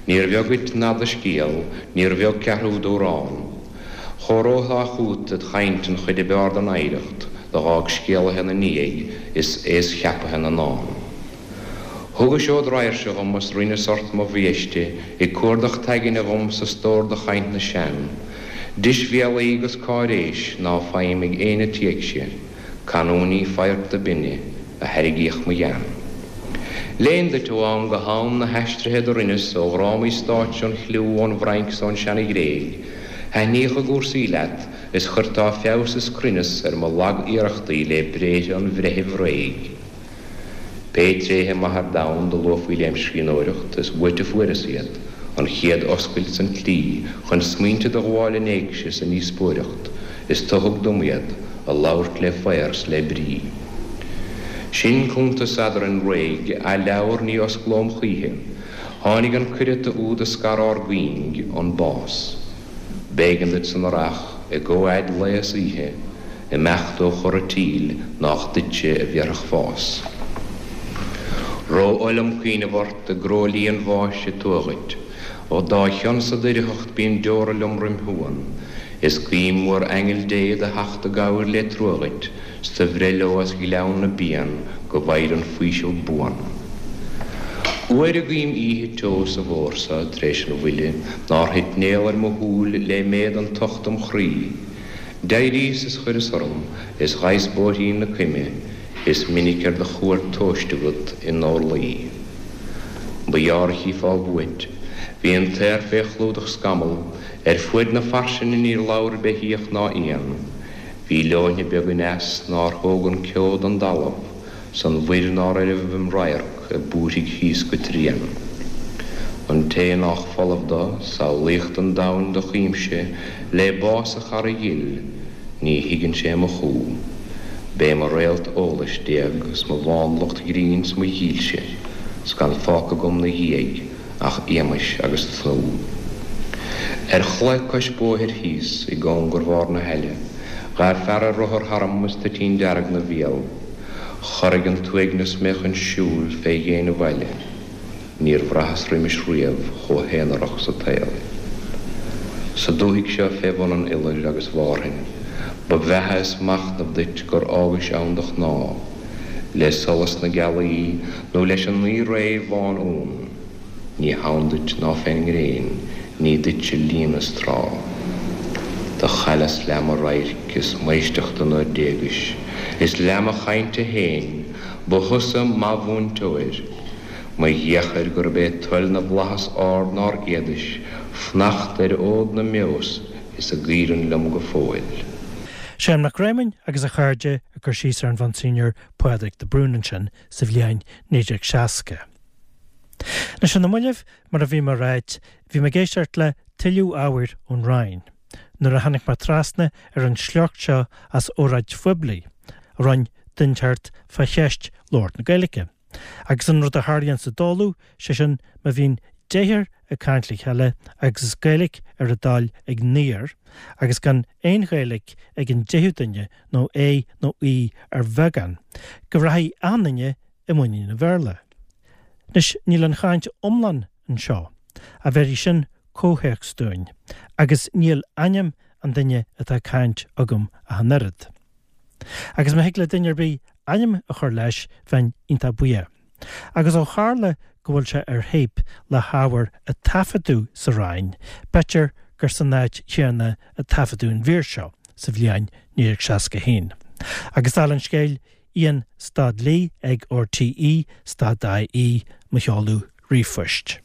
níor bheag dhuit ná do scéal, níor bheag ceathrú d'amhrán. Chomhaireofá chút id chaint an chuid ab fhearr den oidhreacht do dh'fhág scéalaithe 'na ndiaidh is aos cheapaithe na ndán. Thugais ó d'raidhirse dhom is rinneas ort mo bhiaiste ag cuardach t'aigne dhom sa stór de chaint na sean, Deisbhéalaí 'gus cáiréis ná faighim ag éinne t'éigse, canúintí faghairt binne a thairrigíodh mo ghean. Léinn duit ó am go ham na haistrithe do rinneas ó dhrámaí stáit ón chliú ón bhFrainc 's ón seana-Ghréig, thaitníodh a gcúrsaí leat is chuirteá feabhas is cruinneas ar mo lag-iarrachtaí le bréithre an bhreithimh réidh. Pé tréithe maithe ar domhan do luafaí lem scríbhneoireacht is uait a fuaireas iad, an chéad oscailt 's an tslí chun smaointe do ghabháil in éigse sa ndíospóireacht, is tu thug dom iad, a labhairt le faobhar 's le brí. Sin cuntas eadrainn réidh, athleabhar ní osclóm choíche. Tháinig an cuireata úd a scar ár gcuing, an bás. B'éigean duit san earrach, i gcomhfhad lae is oíche, imeacht ó chora tsaoil nách duitse a bhéarfadh fás. Ró-oth liom cuimhneamh ort i gcróilí an bháis a tuath dhuit. Ó dá chionn-sa d'oidhreacht bíonn deora liom roim shuan, is guím uair aingeal Dé do theacht i gcabhair le trua dhuit, 's do bhreith leo as gleann na bpian go bhfaighir an faoiseamh buan. Uair a guím oíche teo sa bhfómhar so tar éis an bhuille nár thit néal ar mo shúil lé méad an tocht im chroí, d'éiríos is chuireas orm is ghabhas bóithrín na coime, is minic ar do chuairt tomhaiste agat i ndorluí. Ba ghearr a chífeá uait. Bhí an t-aer fé chlúdach scamall, ar fuaid na fairsinge níor labhair beithíoch ná éan. Bhí leoithne beag aneas nár thóg an ceo don dtalamh, 's an mhuir nár oirbh im radharc ag búirthigh thíos go tréan. An té nách folamh do, samhlaíocht an domhain do chuimse lé bás a chara dhil, ní thuigeann sé mo chú. B'é mo réalt eolais d'éag 's mo mhánlucht ghrinn 's mo dhílse, 's gan fágtha agam 'na dhiaidh ach éamais agus tnúth. Ar chlaí cois bóthair thíos i gcóngar bharr na haille, ghabh fear ar rothar tharam is toitín dearg 'na bhéal. Chorraigh an t-uaigneas mé chun siúil fé dhéin an bhaile. Níor bhraitheas roimis riamh chomh haonarach sa tsaol. Sa dúthaigh seo fé bhun an iolair agus Mhárthain, ba bheatha is machnamh duit gur fhágais ann do chnámh, le solas na gealaí nó leis an naoi-ré bhán-uan. Ní hann duit ná fén ngréin, ní duitse líon is trá. Do chailleas leath mo radhairc is m'éisteachta nuair d'éagais, is leath mo chainte féin, ba thusa mo mhúinteoir. Mo dheochair gurb é toil na bhflaitheas ard nár fhéadais fanacht ar fhód na mbeos is a gcaoireann liom go fóill. Séan Mac Réamoinn agus a chairde ag cur síos ar an Mhonsignor Pádraig de Brún ansin sa bhliain naoi déag seasca. Anois ar na mallaibh mar a bhí mé ag ráit, bhí mé ag éisteacht le tuilleadh ábhair ón Rinn, nuair a tháinig mé trasna ar an sliocht seo as óráid phoiblí a rinne duine inteacht fá cheist labhairt na Gaeilge. Agus an rud a tharlaíonn sa dtólamh, sé sin má bhíonn deichniúr ag caint le chéile agus is Gaeilge ar a dtoil ag naonúr, agus gan aon Ghaeilge ag an deichiú duine nó é nó í ar bheagán, go rachaidh achan duine i muinín an Bhéarla. Anois níl an chaint iomlán anseo, ach bhéarfaidh sin comhthéacs dúinn, agus níl ainm an duine atá ag caint agam ach an oiread. Agus má thig le duine ar bith ainm a chur leis bheinn iontach buíoch. Agus ó tharla go bhfuil sé ar théip le hábhar a taifeadadh sa Rinn, b'fhéidir gur san áit chéanna a taifeadadh an mhír seo sa bhliain naoi déag seasca haon. Agus dála an scéil, Ian stad Lee ag RTE stad IE mo sheoladh ríomhphoist.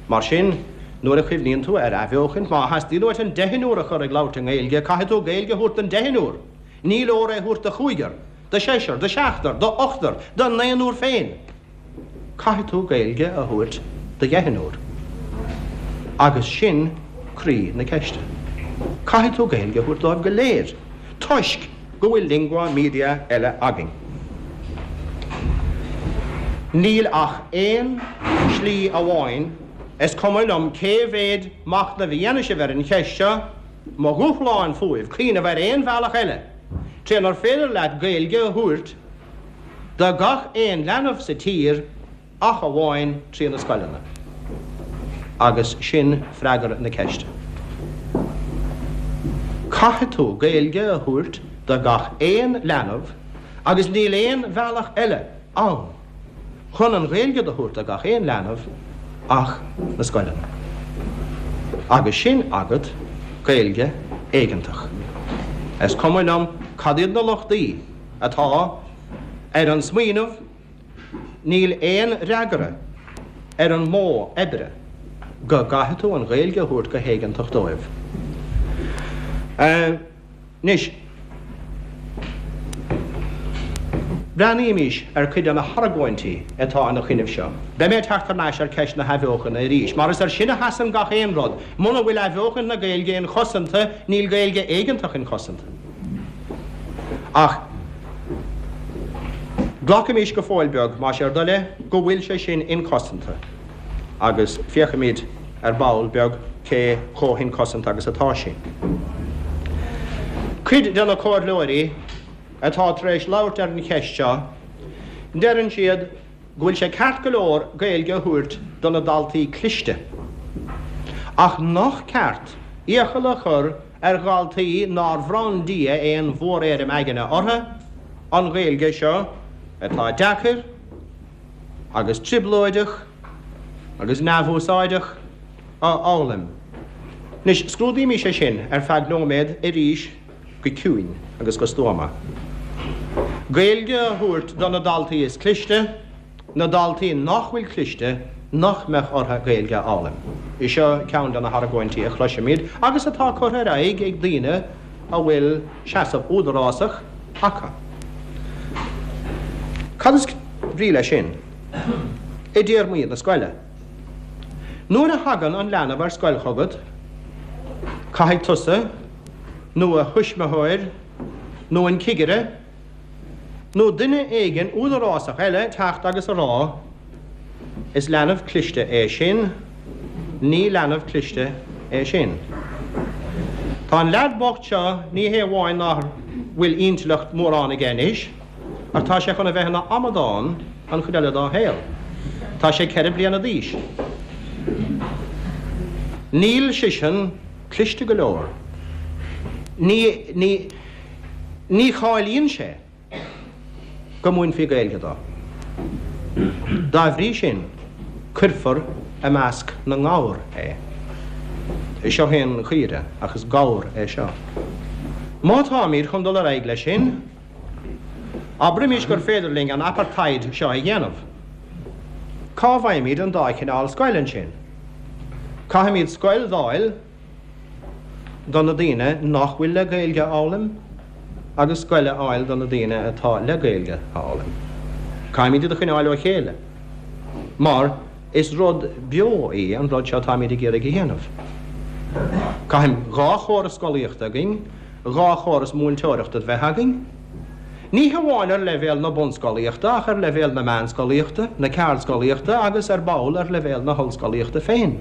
Mar sin, nuair a chuimhníonn tú ar athbheochan, má theastaíonn uait an deichniúr a chur ag labhairt i nGaeilge, caithfidh tú Gaeilge a thabhairt don deichniúr. Ní leor é a thabhairt do chúigear, do sheisear, do sheachtar, do ochtar, do naonúr féin. Caithfidh tú Gaeilge a thabhairt do dheichniúr. Agus sin croí na ceiste. Caithfidh tú Gaeilge a thabhairt dóibh go léir, toisc go bhfuil lingua media eile againn. Níl ach aon slí amháin is cuma liom cé mhéad machnamh a dhéanann sibh ar an cheist seo, mo dhúshlán fúibh cuimhneamh ar aon bhealach eile, trínar féidir leat Gaeilge a thabhairt do gach aon leanbh sa tír ach amháin trí na scoileanna. Agus sin freagra na ceiste. Caithfidh tú Gaeilge a thabhairt do gach aon leanbh agus níl aon bhealach eile ann chun an Ghaeilge a thabhairt do gach aon leanbh ach na scoileanna. Agus sin agat Gaeilge éigeantach. Is cuma liom cad iad na lochtaí atá ar an smaoineamh níl aon fhreagra ar an modh oibre go gcaithfidh tú an Ghaeilge a thabhairt go héigeantach dóibh. Anois, breathnaímis ar chuid de na hargóintí atá ina choinnibh seo. Beidh mé ag teacht thar n-ais ar cheist na hathbheochana arís, mar is ar sin a sheasann gach aon rud. Muna bhfuil athbheochan na Gaeilge inchosanta, níl Gaeilge éigeantach inchosanta. Ach glacaimis go fóill beag, más é bhur dtoil é, go bhfuil sé sin inchosanta, agus féachfaimid ar ball beag cé chomh hinchosanta agus atá sé. Cuid de na comhairleoirí atá tar éis labhairt ar an cheist seo, deireann siad go bhfuil sé ceart go leor Gaeilge a thabhairt do na daltaí cliste, ach nach ceart iachall a chur ar dhaltaí nár bhronn Dia aon mhóréirim aigne orthu an Ghaeilge seo atá deacair agus trioblóideach agus neamhúsáideach a fhoghlaim. Anois, scrúdaímis é sin ar feadh nóiméad arís go ciúin agus go stuama. Gaeilge a thabhairt do na daltaí is cliste, na daltaí nach bhfuil cliste nach mbeadh orthu Gaeilge a fhoghlaim. Is seo ceann de na hargóintí a chloisimid agus atá curtha ar aghaidh ag daoine a bhfuil seasamh údarásach acu. Cad is brí leis sin? I dtéarmaí na scoile. Nuair a thagann an leanbh ar scoil chugat, caithfidh tusa, nó a thuismitheoir, nó an cigire, nó duine éigin údarásach eile teacht agus a rá, Is leanbh cliste é sin, ní leanbh cliste é sin. Tá an leaid bocht seo, ní hé amháin nach bhfuil intleacht mórán aige anois, ach tá sé chun a bheith ina amadán an chuid eile dá shaol. Tá sé ceithre bliana d'aois. Níl seisean cliste go leor. Ní, ní, ní cháilíonn sé go múinfí Gaeilge dó. Dá bhrí sin, cuirfear i measc na ngabhar é. Seo é an chaora, ach is gabhar é seo. Má táimid chun dul ar aghaidh leis sin, abraimis gur féidir linn an apartheid seo a dhéanamh. Cá bhfaighimid an dá chineál scoil ansin? Caithfimid scoil d'fháil do na daoine nach bhfuil le Gaeilge a fhoghlaim agus scoil a fháil do na daoine atá le Gaeilge a fhoghlaim. Caithfimid iad a choinneáil ó chéile, mar is rud beo í an rud seo atáimid ag iarraidh a dhéanamh. Caithfidh dhá chóras scolaíochta againn, dhá chóras múinteoireachta a bheith againn, ní hamháin ar leibhéal na bunscolaíochta ach ar leibhéal na meánscolaíochta, na ceardscolaíochta agus ar ball ar leibhéal na hollscolaíochta féin.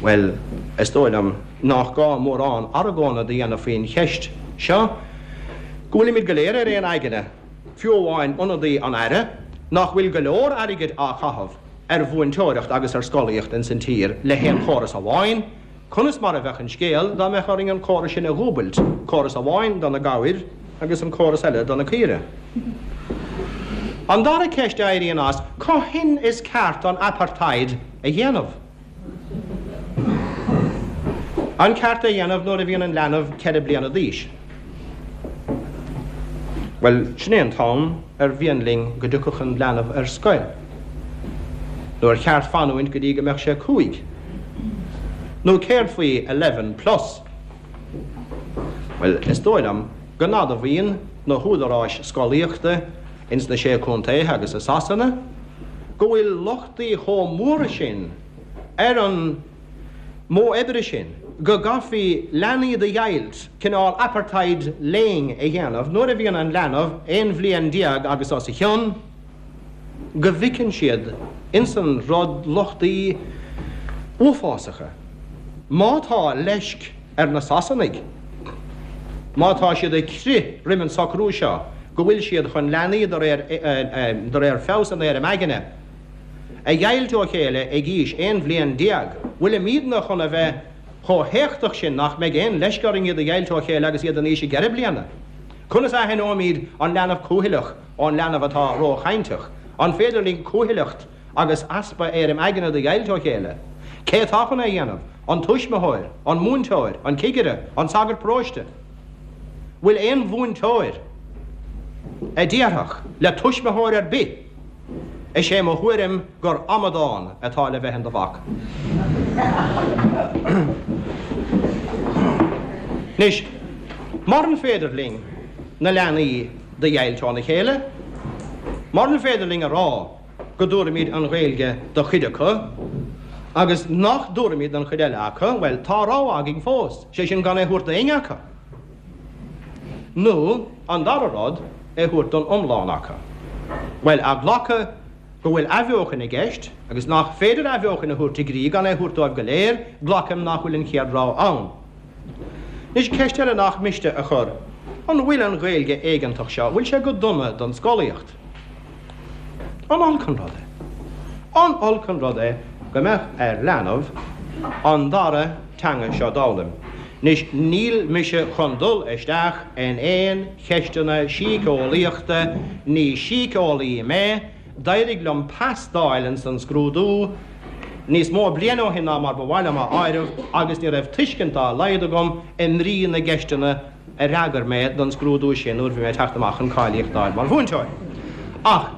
Bhuel, is dóigh liom nach gá mórán argóna a dhéanamh faoin cheist seo, go bhfuilimid go léir ar aon aigne, fiú amháin ionadaí an Aire, nach bhfuil go leor airgid á chaitheamh ar mhúinteoireacht agus ar scolaíocht ins an tír le haon chóras amháin, conas mar a bheadh an scéal dá mbeadh orainn an córas sin a dhúbailt, córas amháin do na gabhair agus an córas eile do na caoire? An dara ceist a éiríonn as, cathain is ceart an apartheid a dhéanamh? An ceart é a dhéanamh nuair a bhíonn an leanbh ceithre bliana d'aois? Bhuel, sin é an t-am ar mhian linn go dtiocfadh an leanbh ar scoil. Nó ar cheart fanúint go dtí go mbeadh sé cúig? Nó céard faoi eleven plus? Bhuel, is dóigh liom go n-admhaíonn na húdaráis scolaíochta ins na Sé Contaetha agus i Sasana go bhfuil lochtaí chomh mór sin ar an modh oibre sin go gcaithfí leanaí do dheighilt, cineál apartheid léinn a dhéanamh, nuair a bhíonn an leanbh aon bhliain déag agus os a chionn, go bhfeiceann siad insan rud lochtaí uafásacha. Má tá leisc ar na Sasanaigh, má tá siad ag crith roimh an socrú seo, go bhfuil siad chun leanaí de réir de réir feabhas an éirim aigne a dheighilt ó chéile ag aois aon bhliain déag, bhfuilimidne chun a bheith chomh héachtach sin nach mbeidh aon leisc orainn iad a dheighilt ó chéile agus iad in aois a gceithre bliana? Conas a aithneoimid an leanbh cúthaileach ón leanbh atá róchainteach? An féidir linn cúthaileacht agus easpa éirim aigne do dheighilt ó chéile? Cé atá chun é a dhéanamh? An tuismitheoir? An múinteoir? An cigire? An sagart paróiste? Bhfuil aon mhúinteoir a déarfadh le tuismitheoir ar bith, Is é mo thuairim gur amadán atá le bheith in do mhac? Anois, muran féidir linn na leanaí do dheighilt óna chéile, muran féidir linn a rá go dtabharfaimid an Ghaeilge do chuid acu agus nach dtabharfaimid don chuid eile acu, bhuel, tá rogha againn fós, sé sin gan é a thabhairt d'éinne acu. Nó, an dara rud, é a thabhairt don iomlán acu. Bhuel, a ghlacadh go bhfuil athbheochan i gceist, agus nach féidir athbheochan a thabhairt i gcrích gan é a thabhairt dóibh go léir, glacaim nach bhfuil an chéad rogha ann. Anois, ceist eile nach miste a chur, an bhfuil an Ghaeilge éigeantach seo, bhfuil sé go dona don scolaíocht? An olc an rud é? An olc an rud é go mbeadh ar leanbh an dara teanga seo d'fhoghlaim? Anois, níl mise chun dul isteach in aon cheisteanna síceolaíochta, ní síceolaí mé, d'éirigh liom pas d'fháil ins an scrúdú níos mó bliain ó shin ná mar ba mhaith liom a áireamh agus ní raibh tuiscint dá laghad agam i mbrí na gceisteanna a fhreagair mé don scrúdú sin nuair a bhí mé ag teacht amach chun cáilíocht d'fháil mar mhúinteoir. Ach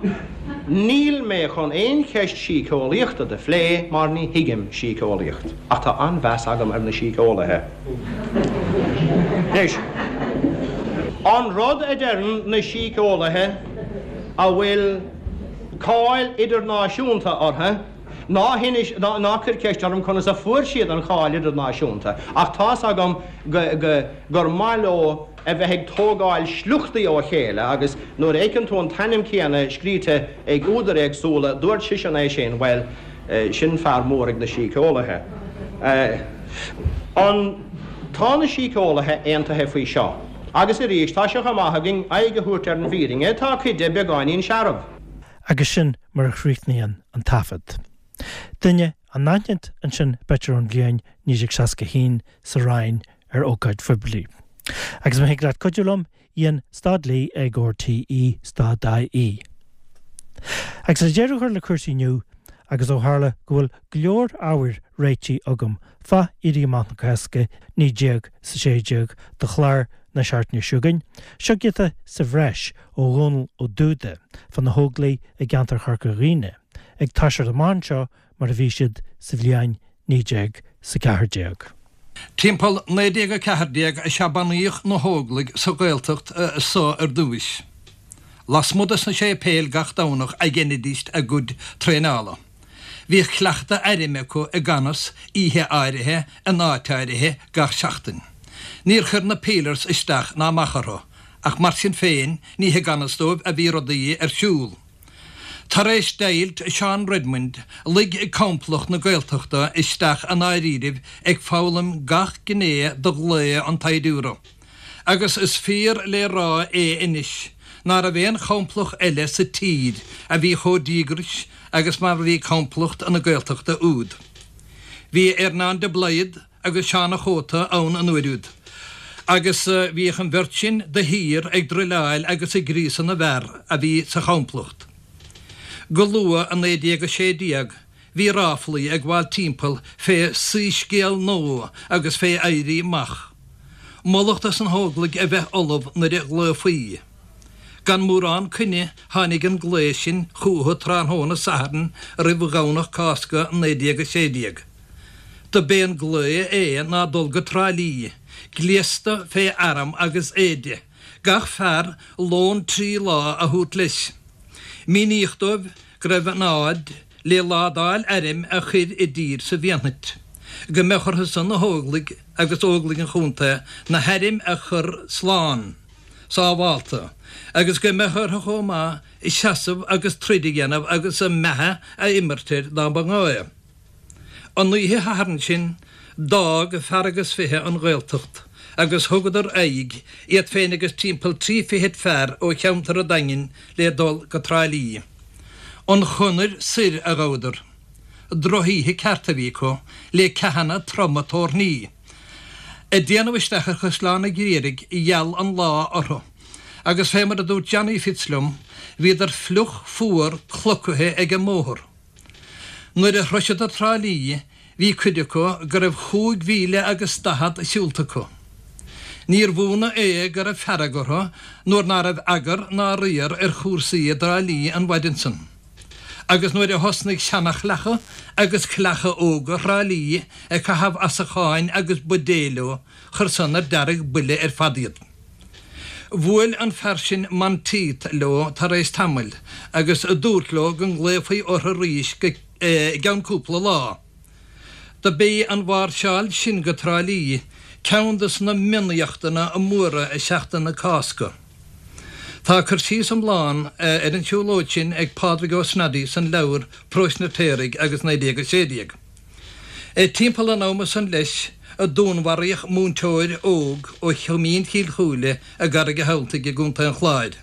níl mé chun aon cheist síceolaíochta do phlé mar ní thuigim síceolaíocht. Ach tá an-mheas agam ar na síceolaithe. Anois, an rud a deireann na síceolaithe a bhfuil cáil idirnáisiúnta orthu, ná hinis, ná cuir ceist orm conas a fuair siad an cháil idirnáisiúnta, ach tá's agam go, go, gur maith leo a bheith ag tógáil sliochtaí ó chéile agus nuair a fheiceann tú an t-ainm céanna scríte ag údair éagsúla, dúirt seisean é sin, bhuel, sin fear mór ag na síceolaithe. An, tá na síceolaithe aontaithe faoi seo. Agus arís, tá sé chomh maith againn aghaidh a thabhairt ar an bhfírinne, tá cuid de beagáinín searbh. Agus sin mar a chríochnaíonn an taifead. Duine anaithnid ansin b'fhéidir ón bhliain naoi déag seasca a haon sa Rinn ar ócáid phoiblí. Agus má thig leat cuidiú liom, Ian stad Lee ag RTE stad IE. Agus le deireadh a chur le cúrsaí inniu, agus ó tharla go bhfuil go leor ábhair réitithe agam fá Éirí Amach na Cásca naoi déag 's a sé déag do chlár na seachtaine seo chugainn, seo giota sa bhreis ó Dhónall Ó Dúda fá na hÓglaigh i gceantar Chorca Dhuibhne ag toiseacht amach anseo mar a bhí siad sa bhliain naoi déag 's a ceathair déag. Timpeall naoi déag a ceathair déag is ea bunaíodh na hÓglaigh sa Ghaeltacht so ar dtúis. Lasmuigh de sna séipéil gach Domhnach a dheinidíst a gcuid traenála. Bhíodh cleachtadh airm acu i gan fhios oíche áirithe in áit áirithe gach seachtain. Níor chuir na peelers isteach ná amach orthu, ach mar sin féin ní i gan fhios dóibh a bhí rudaí ar siúl. Tar éis deighilt Seán Redmond, luigh complacht na Gaeltachta isteach i ndáiríribh ag foghlaim gach gné de ghlao an tsaighdiúra. Agus is fíor le rá é anois ná raibh aon chomplacht eile sa tír a bhí chomh díograis agus mar a bhí complacht na Gaeltachta úd. Bhí Earnán de Blaghad agus Seán a' Chóta ann an uair úd, agus bhíodh an bheirt sin de shíor ag druileáil agus ag gríosadh na bhfear a bhí sa chomplacht. Go luath i naoi déag a sé déag bhí ráflaí ag gabháil timpeall fé soíscéal nua agus fé éirí amach. Moladh dos na hÓglaigh a bheith ullamh nuair a ghlaofaí. Gan mórán coinne tháinig an glao sin chucu tráthnóna Sathairn roimh Dhomhnach Cásca naoi déag a sé déag. Do b'é an glao é ná dul go Trá Lí, gléasta fé arm agus éide, gach fear lón trí lá a thabhairt leis. Míníodh dóibh go raibh an fhad le ládáil airm a chur i dtír sa bhFianait, go mbeadh orthu san na hÓglaigh agus Óglaigh an chontae na hairm a chur slán, sábhálta, agus go mbeadh orthu chomh maith seasamh agus troid a dhéanamh agus a mbeatha a imirt air dá mba ghá é. An oíche Shathairn sin, d'fhág fear agus fiche an Ghaeltacht agus thugadar aghaidh, iad féin agus timpeall trí fichid fear ó cheantar an Daingin le dul go Trá Lí. An chonair soir a ghabhadar. Drochoíche ceart a bhí acu, le ceathanna troma toirní. Ag déanamh isteach ar Chaisleán an Ghriadraigh, gheal an lá orthu, agus fé mar a dúirt Johnny Fitz liom, bhíodar fliuch fuar clocaithe ag an mbóthar. Nuair a shroiseadar Trá Lí, bhí cuid acu go raibh chúig mhíle agus daichead siúlta acu. Níorbh ionadh é go raibh fearg orthu nuair ná raibh eagar ná riar ar chúrsaí i dTrá Lí an mhaidin san. Agus nuair a thosnaigh seanachleacha agus cleacha óga Thrá Lí ag caitheamh asacháin agus buidéil leo, chuir san ar dearg-buile ar fad iad. Bhuail an fear sin Monteith leo tar éis tamaill agus dúirt leo go nglaofaí orthu arís go gceann cúpla lá. Do b'é an mháirseáil sin go Trá Lí ceann de na mionéachtanna móra i Seachtain na Cásca. Tá cur síos iomlán ar an tsiúlóid sin ag Pádraig Ó Snodaigh san leabhar Próis na Paoraigh agus naoi déag a sé déag. Timpeall an ama san leis a dúnmharaíodh múinteoir óg ó Choimín Chill Chúile i gCarraig an Thabhaltaigh i gContae an Chláir,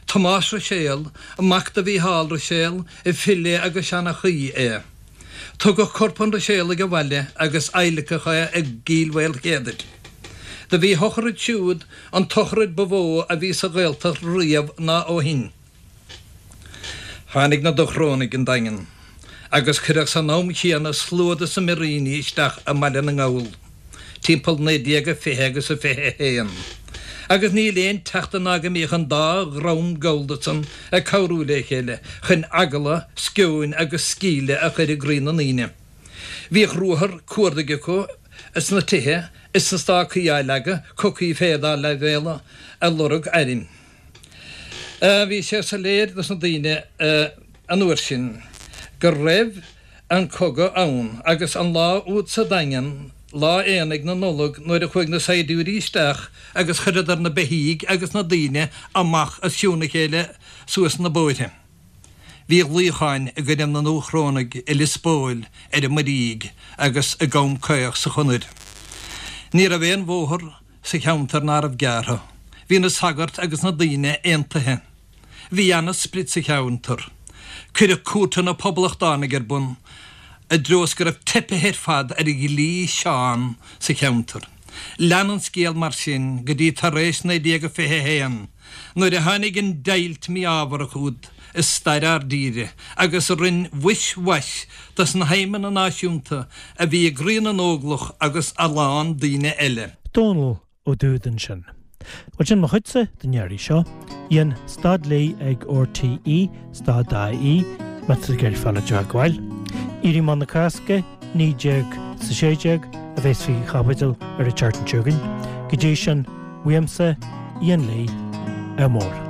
Tomás Ruiséal, mac do Mhícheál Ruiséal, file agus seanchaí é. Tugadh corp an Ruiséalaigh abhaile agus adhlacadh é i gCill Mhaoilchéadair. Do bhí a shochraid siúd an tsochraid ba mhó a bhí sa Ghaeltacht riamh ná ó shin. Tháinig na Dúchrónaigh 'on Daingean agus cuireadh san am chéanna slua de na muiríní isteach i mBaile na nGall timpeall naoi déag a fiche agus a fiche a haon, agus níl aon tseachtain ná go mbíodh an dá dhream gallda san ag cabhrú le chéile chun eagla, sceoin agus sceimhle a chur i gcroí na ndaoine. Bhíodh ruathar cuardaigh acu sna tithe is na stácaí á leagadh, cocaí féir dá leibhéaladh ag lorg airm. Bhí sé soiléir dos na daoine an uair sin go raibh an cogadh ann agus an lá úd sa Daingean, lá aonaigh na Nollag nuair a chuaigh na saighdiúirí isteach agus chuireadar na beithígh agus na daoine amach as cionn a chéile suas na bóithre. Bhí luíocháin i gcoinne na nDúchrónaigh i Lios Póil ar an Muirígh agus i gCom Caoch sa Chonair. Ní raibh aon bhóthar sa cheantar ná raibh gearrtha. Bhí na sagairt agus na daoine aontaithe. Bhí ana-sprid sa cheantar. Cuireadh cúirteanna poblachtánaigh ar bun i dtreo is go raibh teipithe ar fad ar dhlí Seán sa cheantar. Lean an scéal mar sin go dtí tar éis naoi déag a fiche a haon, nuair a tháinig an deighilt mí-ámharach úd i stair ár dtíre agus a rinn mhuis mhais dos na haidhmeanna náisiúnta a bhí i gcroí na nÓglach agus a lán daoine eile. Dónall Ó Dúda ansin. Bhuel sin mo chuidse don iarraidh seo. Ian, stad léi ag RTÉ, stad dot I E, má tá tú ag iarraidh fáil i dteagmháil. Éirí Amach na Cásca, naoi déag is a sé déag, a bheas faoi chaibidil ar an tseachtain seo chugainn. Go dtí sin, uaimse, Ian Lee, ádh mór.